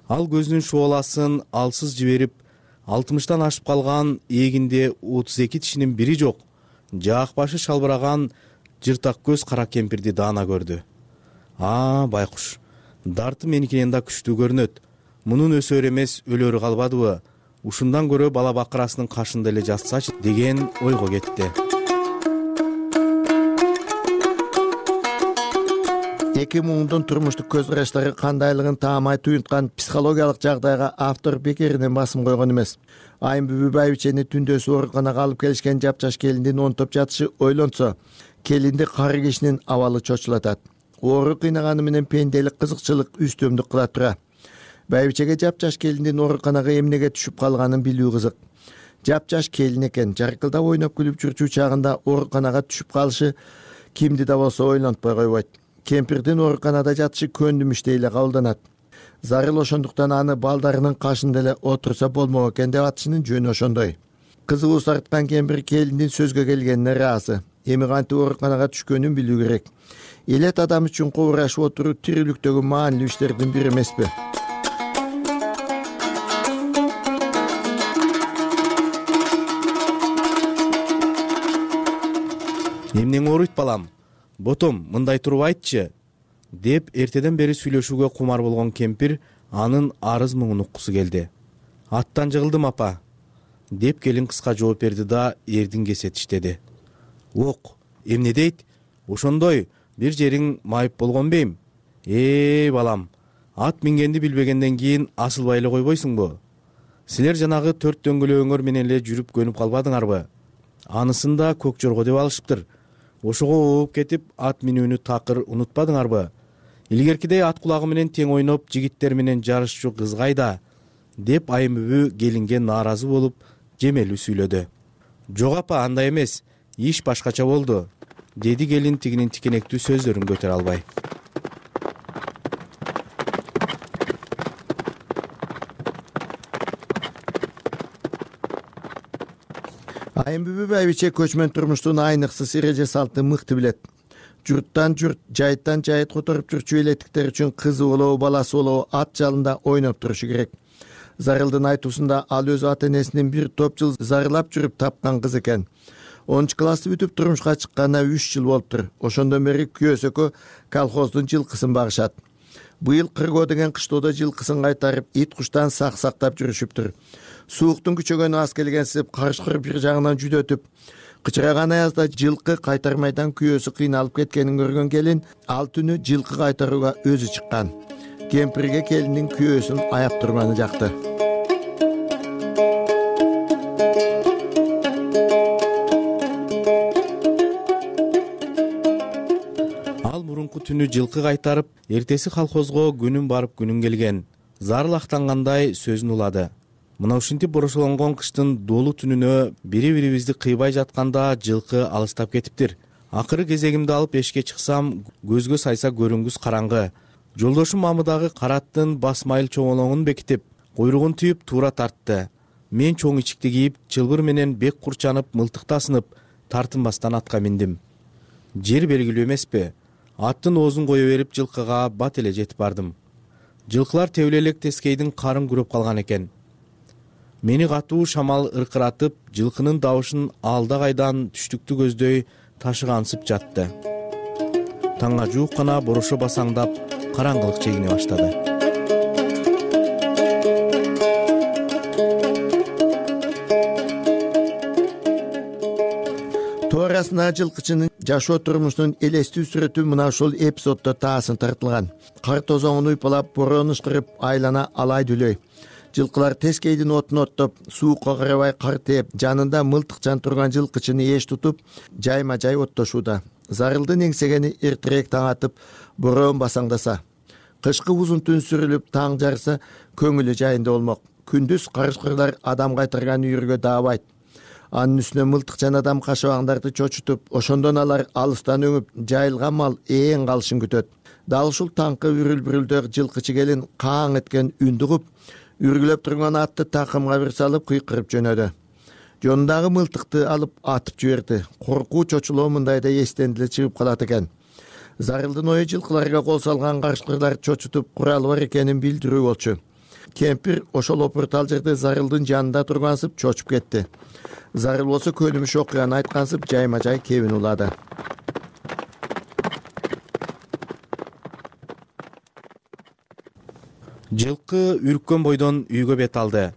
Ал көзүнүн шуоласын алсыз жиберип, 60тан ашып калган эгинде 32 тишинин бири жок, жаак башы шалбыраган жыртак көз кара кемпирди даана көрдү. Байкуш, дарты меникинен да күчтүү көрүнөт. Мунун өсөр эмес, өлөрү калбадыбы? Ушундан көрө бала бакырасынын кашында эле жатсачы деген ойго кетти. Эки муңдун турмуштук көз караштары кандайлыгын таамай туюнткан психологиялык жагдайга автор бекеринен басым койгон эмес. Айымбүбү байбичени түндөсү ооруканага алып келишкен жапжаш келиндин онтоп жатышы ойлонсо, келинди кары кишинин абалы чочулатат. Оору кыйнаганы менен пенделик кызыкчылык үстөмдүк кыла тура. Байбичеге жапжаш келиндин ооруканага эмнеге түшүп калганын билүү кызык. Жапжаш келин экен, жаркылдап ойноп күлүп жүрчү чагында ооруканага түшүп калышы кимди да болсо ойлонтпой койбойт. Кемпирдин ооруканада жатышы көндүмүштей эле кабылданат. Зарыл ошондуктан аны балдарынын кашында эле отурса болмок экен деп атышынын жөнү ошондой. Кызыгуу сарыткан кемпир келиндин сөзгө келгенине ыраазы. Эми кантип ооруканага түшкөнүн билүү керек. Элет адам үчүн кобурашып отуруу тирүүлүктөгү маанилүү иштердин бири эмеспи? Эмнең ооруйт балам? Ботом, мындай туруп айтчы, деп эртеден бери сүйлөшүүгө кумар болгон кемпир анын арыз муңун уккусу келди. Аттан жыгылдым апа, деп келин кыска жооп берди да эрдин кесе тиштеди. Ок, эмне дейт? Ошондой бир жериң майып болгон бейм? Балам, ат мингенди билбегенден кийин асылбай эле койбойсуңбу? Силер жанагы 4 дөңгөлөгүңөр менен эле жүрүп көнүп калбадыңарбы? Анысын да көк жорго деп алышыптыр. Ошого ооп кетип, ат минүүнү такыр унутпадыңарбы? Илгеркидей ат кулагы менен тең ойноп, жигиттер менен жарышчу кыз кайда? Деп Айымбүбү келинге нааразы болуп, жемелүү сүйлөдү. Жок апа, андай эмес, иш башкача болду, деди келин тигинин тикенектүү сөздөрүн көтөрө албай. Айымбүбү байбиче көчмөн турмуштун айныксыз эреже салты мыкты билет. Журттан журт, жайыттан жайыт которуп жүрчү элеттиктер үчүн кызы болобу, баласы болобу ат жалында ойноп турушу керек. Зарылдын айтуусунда ал өз ата энесинин бир топ жыл зарылап жүрүп тапкан кыз экен. 10 классты бүтүп турмушка чыкканына 3 жыл болуптур. Ошондон бери күйөөсөкө колхоздун жылкысын багышат. Быйыл Кыргоо деген кыштоодо жылкысын кайтарып, ит куштан сактап жүрүшүптүр. Сууктун күчөгөнү аз келгенсип, карышкыр бир жагынан жүдөтүп, кычыраган аязда жылкы кайтармайдан күйөөсү кыйналып кеткенин көргөн келин ал түнү жылкы кайтарууга өзү чыккан. Кемпирге келиндин күйөөсүн аяп турганы жакты. Ал мурунку түнү жылкы кайтарып, эртеси колхозго күнүн барып күнүн келген. Зарыл актангандай сөзүн улады. Мына ушинтип борошолонгон кыштын долуу түнүнө бири-бирибизди кыйбай жатканда жылкы алыстап кетиптир. Акыры кезегимди алып эшикке чыксам, көзгө сайса көрүнгүс караңгы. Жолдошум мамыдагы караттын басмайыл чоңолоңун бекитип, куйругун түйүп туура тартты. Мен чоң ичикти кийип, чылбыр менен бек курчанып, мылтыкты асынып, тартынбастан атка миндим. Жер белгилүү эмеспи? Аттын оозун кое берип жылкыга бат эле жетип бардым. Жылкылар тебиле элек тескейдин карын күрөп калган экен. Мени катуу шамал ыркыратып, жылкынын дабышын алда кайдан түштүктү көздөй ташыгансып жатты. Таңга жуук гана борошо басаңдап, караңгылык чегине баштады. Туурасына жылкычынын жашоо турмушунун элестүү сүрөтү мына ушул эпизоддо таасын тартылган. Кар тозоңун уйпалап, борон ышкырып, айлана алай дүлөй. Жылкылар тескейдин отун оттоп, суукка карабай кар тээп, жанында мылтыкчан турган жылкычыны эш тутуп, жайма-жай оттошууда. Зарылдын эңсегени эртерээк таң атып, борон басаңдаса. Кышкы узун түн сүрүлүп, таң жарса, көңүлү жайында болмок. Күндүз карышкырлар адам кайтарган үйүргө даабайт. Анын үстүнө мылтыкчан адам кашабаңдарды чочутуп, ошондон алар алыстан өңүп, жайылган мал ээн калышын күтөт. Дал ушул таңкы үрүл-бүрүлдө жылкычы келин кааң эткен үндү угуп, үргүлөп турган атты такымга бир салып кыйкырып жөнөдү. Жонундагы мылтыкты алып атып жиберди. Коркуу чочулоо мындайда эстен деле чыгып калат экен. Зарылдын ою жылкыларга кол салган карышкырлар чочутуп куралы бар экенин билдирүү болчу. Кемпир ошол опуртал жерде Зарылдын жанында тургансып чочуп кетти. Зарыл болсо көнүмүш окуяны айткансып жайма-жай кебин улады. Жылкы үрккөн бойдон үйгө бет алды.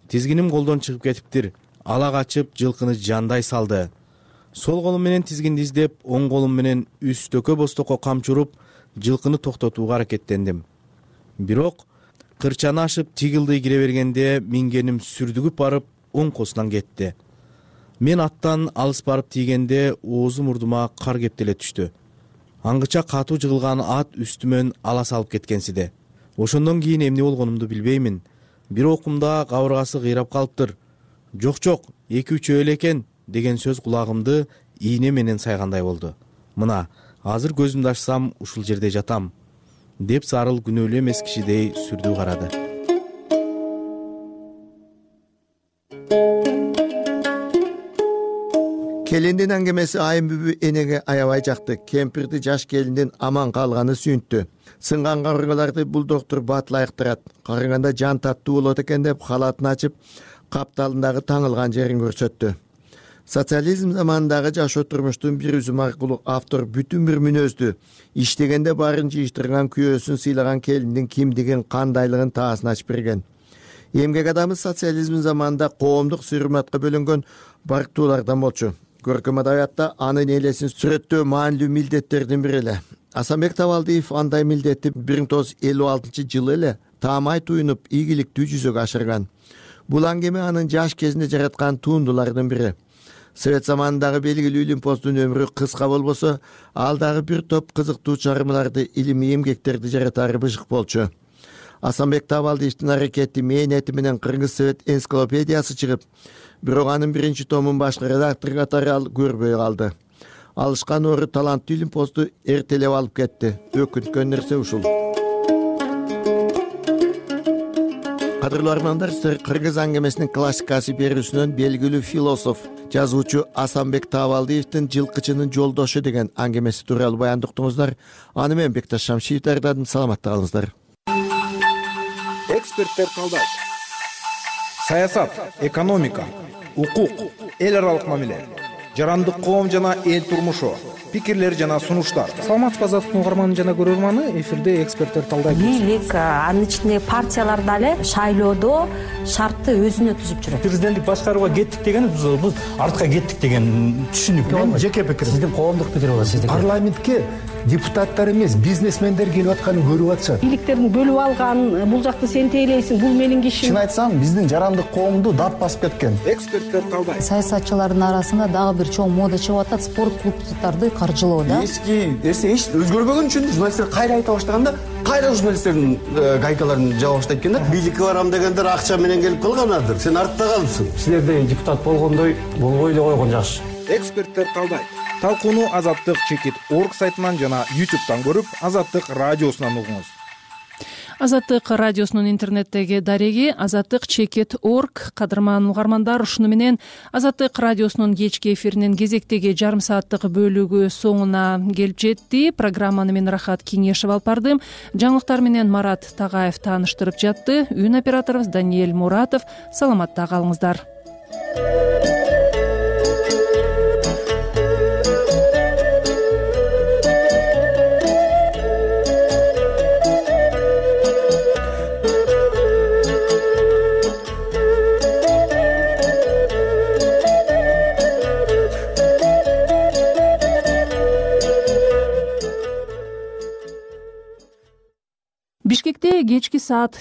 Тизгиним колдон чыгып кетиптир. Ала качып жылкыны жандай салды. Сол колум менен тизгинди издеп, оң колум менен үстөкө бостокко камчы уруп, жылкыны токтотууга аракеттендим. Бирок кырчаны ашып тигилдый кире бергенде мингеним сүрдүгүп барып, оң косунан кетти. Мен аттан алыс барып тийгенде оозу мурдума кар кептеле түштү. Аңгыча катуу жыгылган ат үстүмөн ала салып кеткенсиде. Ошондон кийин эмне болгонумду билбеймин. Бир окумда кабыргасы кыйрап калыптыр. Жок, 2-3 эле экен деген сөз кулагымды ийне менен сайгандай болду. Мына, азыр көзүмдү ачсам ушул жерде жатам, деп Зарыл күнөөлүү эмес кишидей сүрдүү карады. Келиндин аңгемеси айым бүбү энеге аябай жакты. Кемпирди жаш келиндин аман калганы сүйүнттү. Сынган кабыргаларды бул доктор батыл айыктырат. Карыганда жан таттуу болот экен деп халатын ачып, капталындагы таңылган жерин көрсөттү. Социализм заманындагы жашоо турмуштун бир үзүм аркылуу автор бүтүн бир мүнөздү, иштегенде баарын жыйыштырган күйөөсүн сыйлаган келиндин кимдигин, кандайлыгын таасын ачып берген. Эмгек адамы социализм заманында коомдук сый-урматка бөлөнгөн барктуулардан болчу. Көркөм адабиятта анын элесин сүрөттөө маанилүү милдеттердин бири эле. Асанбек Табалдиев андай милдетти 1956-жылы эле таамай туюнуп, ийгиликтүү жүзөгө ашырган. Бул аңгеме анын жаш кезинде жараткан туундулардын бири. Совет заманындагы белгилүү илимпоздун өмүрү кыска болбосо, ал дагы бир топ кызыктуу чыгармаларды, илимий эмгектерди жаратары быжык болчу. Асанбек Табалдиевдин аракети, мээнети менен Кыргыз Совет энциклопедиясы чыгып, бирок анын биринчи томун башкы редактор катары ал көрбөй калды. Алышкан ору таланттуу илимпозду эртелеп алып кетти. Өкүнткөн нерсе ушул. Кадырлуу армандар, сиздер Кыргыз аңгемесинин классикасы берүүсүнөн белгилүү философ, жазуучу Асанбек Табалдиевдин Жылкычынын жолдошу деген аңгемеси тууралуу баяндуктуңуздар. Аны мен Бекташ Шамшиев даярдадым. Саламатта калыңыздар. Эксперттер талдайт. Саясат, экономика, укук, эл аралык мамиле. жарандык коом жана эл турмушу, пикирлер жана сунуштар. Саламатсызбы азаттыктын угарманы жана көрөрманы, эфирде эксперттер талдайт. Бийлик, анын ичинде партиялар дагы шайлоодо шартты өзүнө түзүп жүрөт. Президенттик башкарууга кеттик деген биз артка кеттик деген түшүнүк. Жеке пикир. Сиздин коомдук пикир болот. Сиздики парламентке депутаттар эмес, бизнесмендер келип атканын көрүп атышат. Бийликтерин бөлүп алган, бул жакты сен тейлейсиң, бул менин кишим. Чын айтсам, биздин жарандык коомду дап басып кеткен. Эксперттер талдайт. Саясатчылардын арасында дагы бир чоң мода чыгып атат, спорт клубдарды каржылоо да. Эски нерсе эч өзгөрбөгөн үчүн журналисттер кайра айта баштаганда, кайра журналисттердин гайкаларын жаба баштайт экен да. Бийликке барам дегендер акча менен келип калганадыр. Сен артта калыпсың. Силердей депутат болгондой болбой эле койгон жакшы. Эксперттер талдайт. Талкууну Азаттык чекит орг сайтынан жана YouTube'дан көрүп, Азаттык радиосунан угуңуз. Азаттык радиосунун интернеттеги дареги Азаттык чекит орг. Кадырман угармандар, ушуну менен Азаттык радиосунун кечки эфиринин кезектеги жарым сааттык бөлүгү соңуна келип жетти. Программаны мен Рахат Кеңешев алып бардым. Жаңылыктар менен Марат Тагаев тааныштырып жатты. Үн операторубуз Даниэль Муратов. Саламатта калыңыздар. Бишкекте кечки саат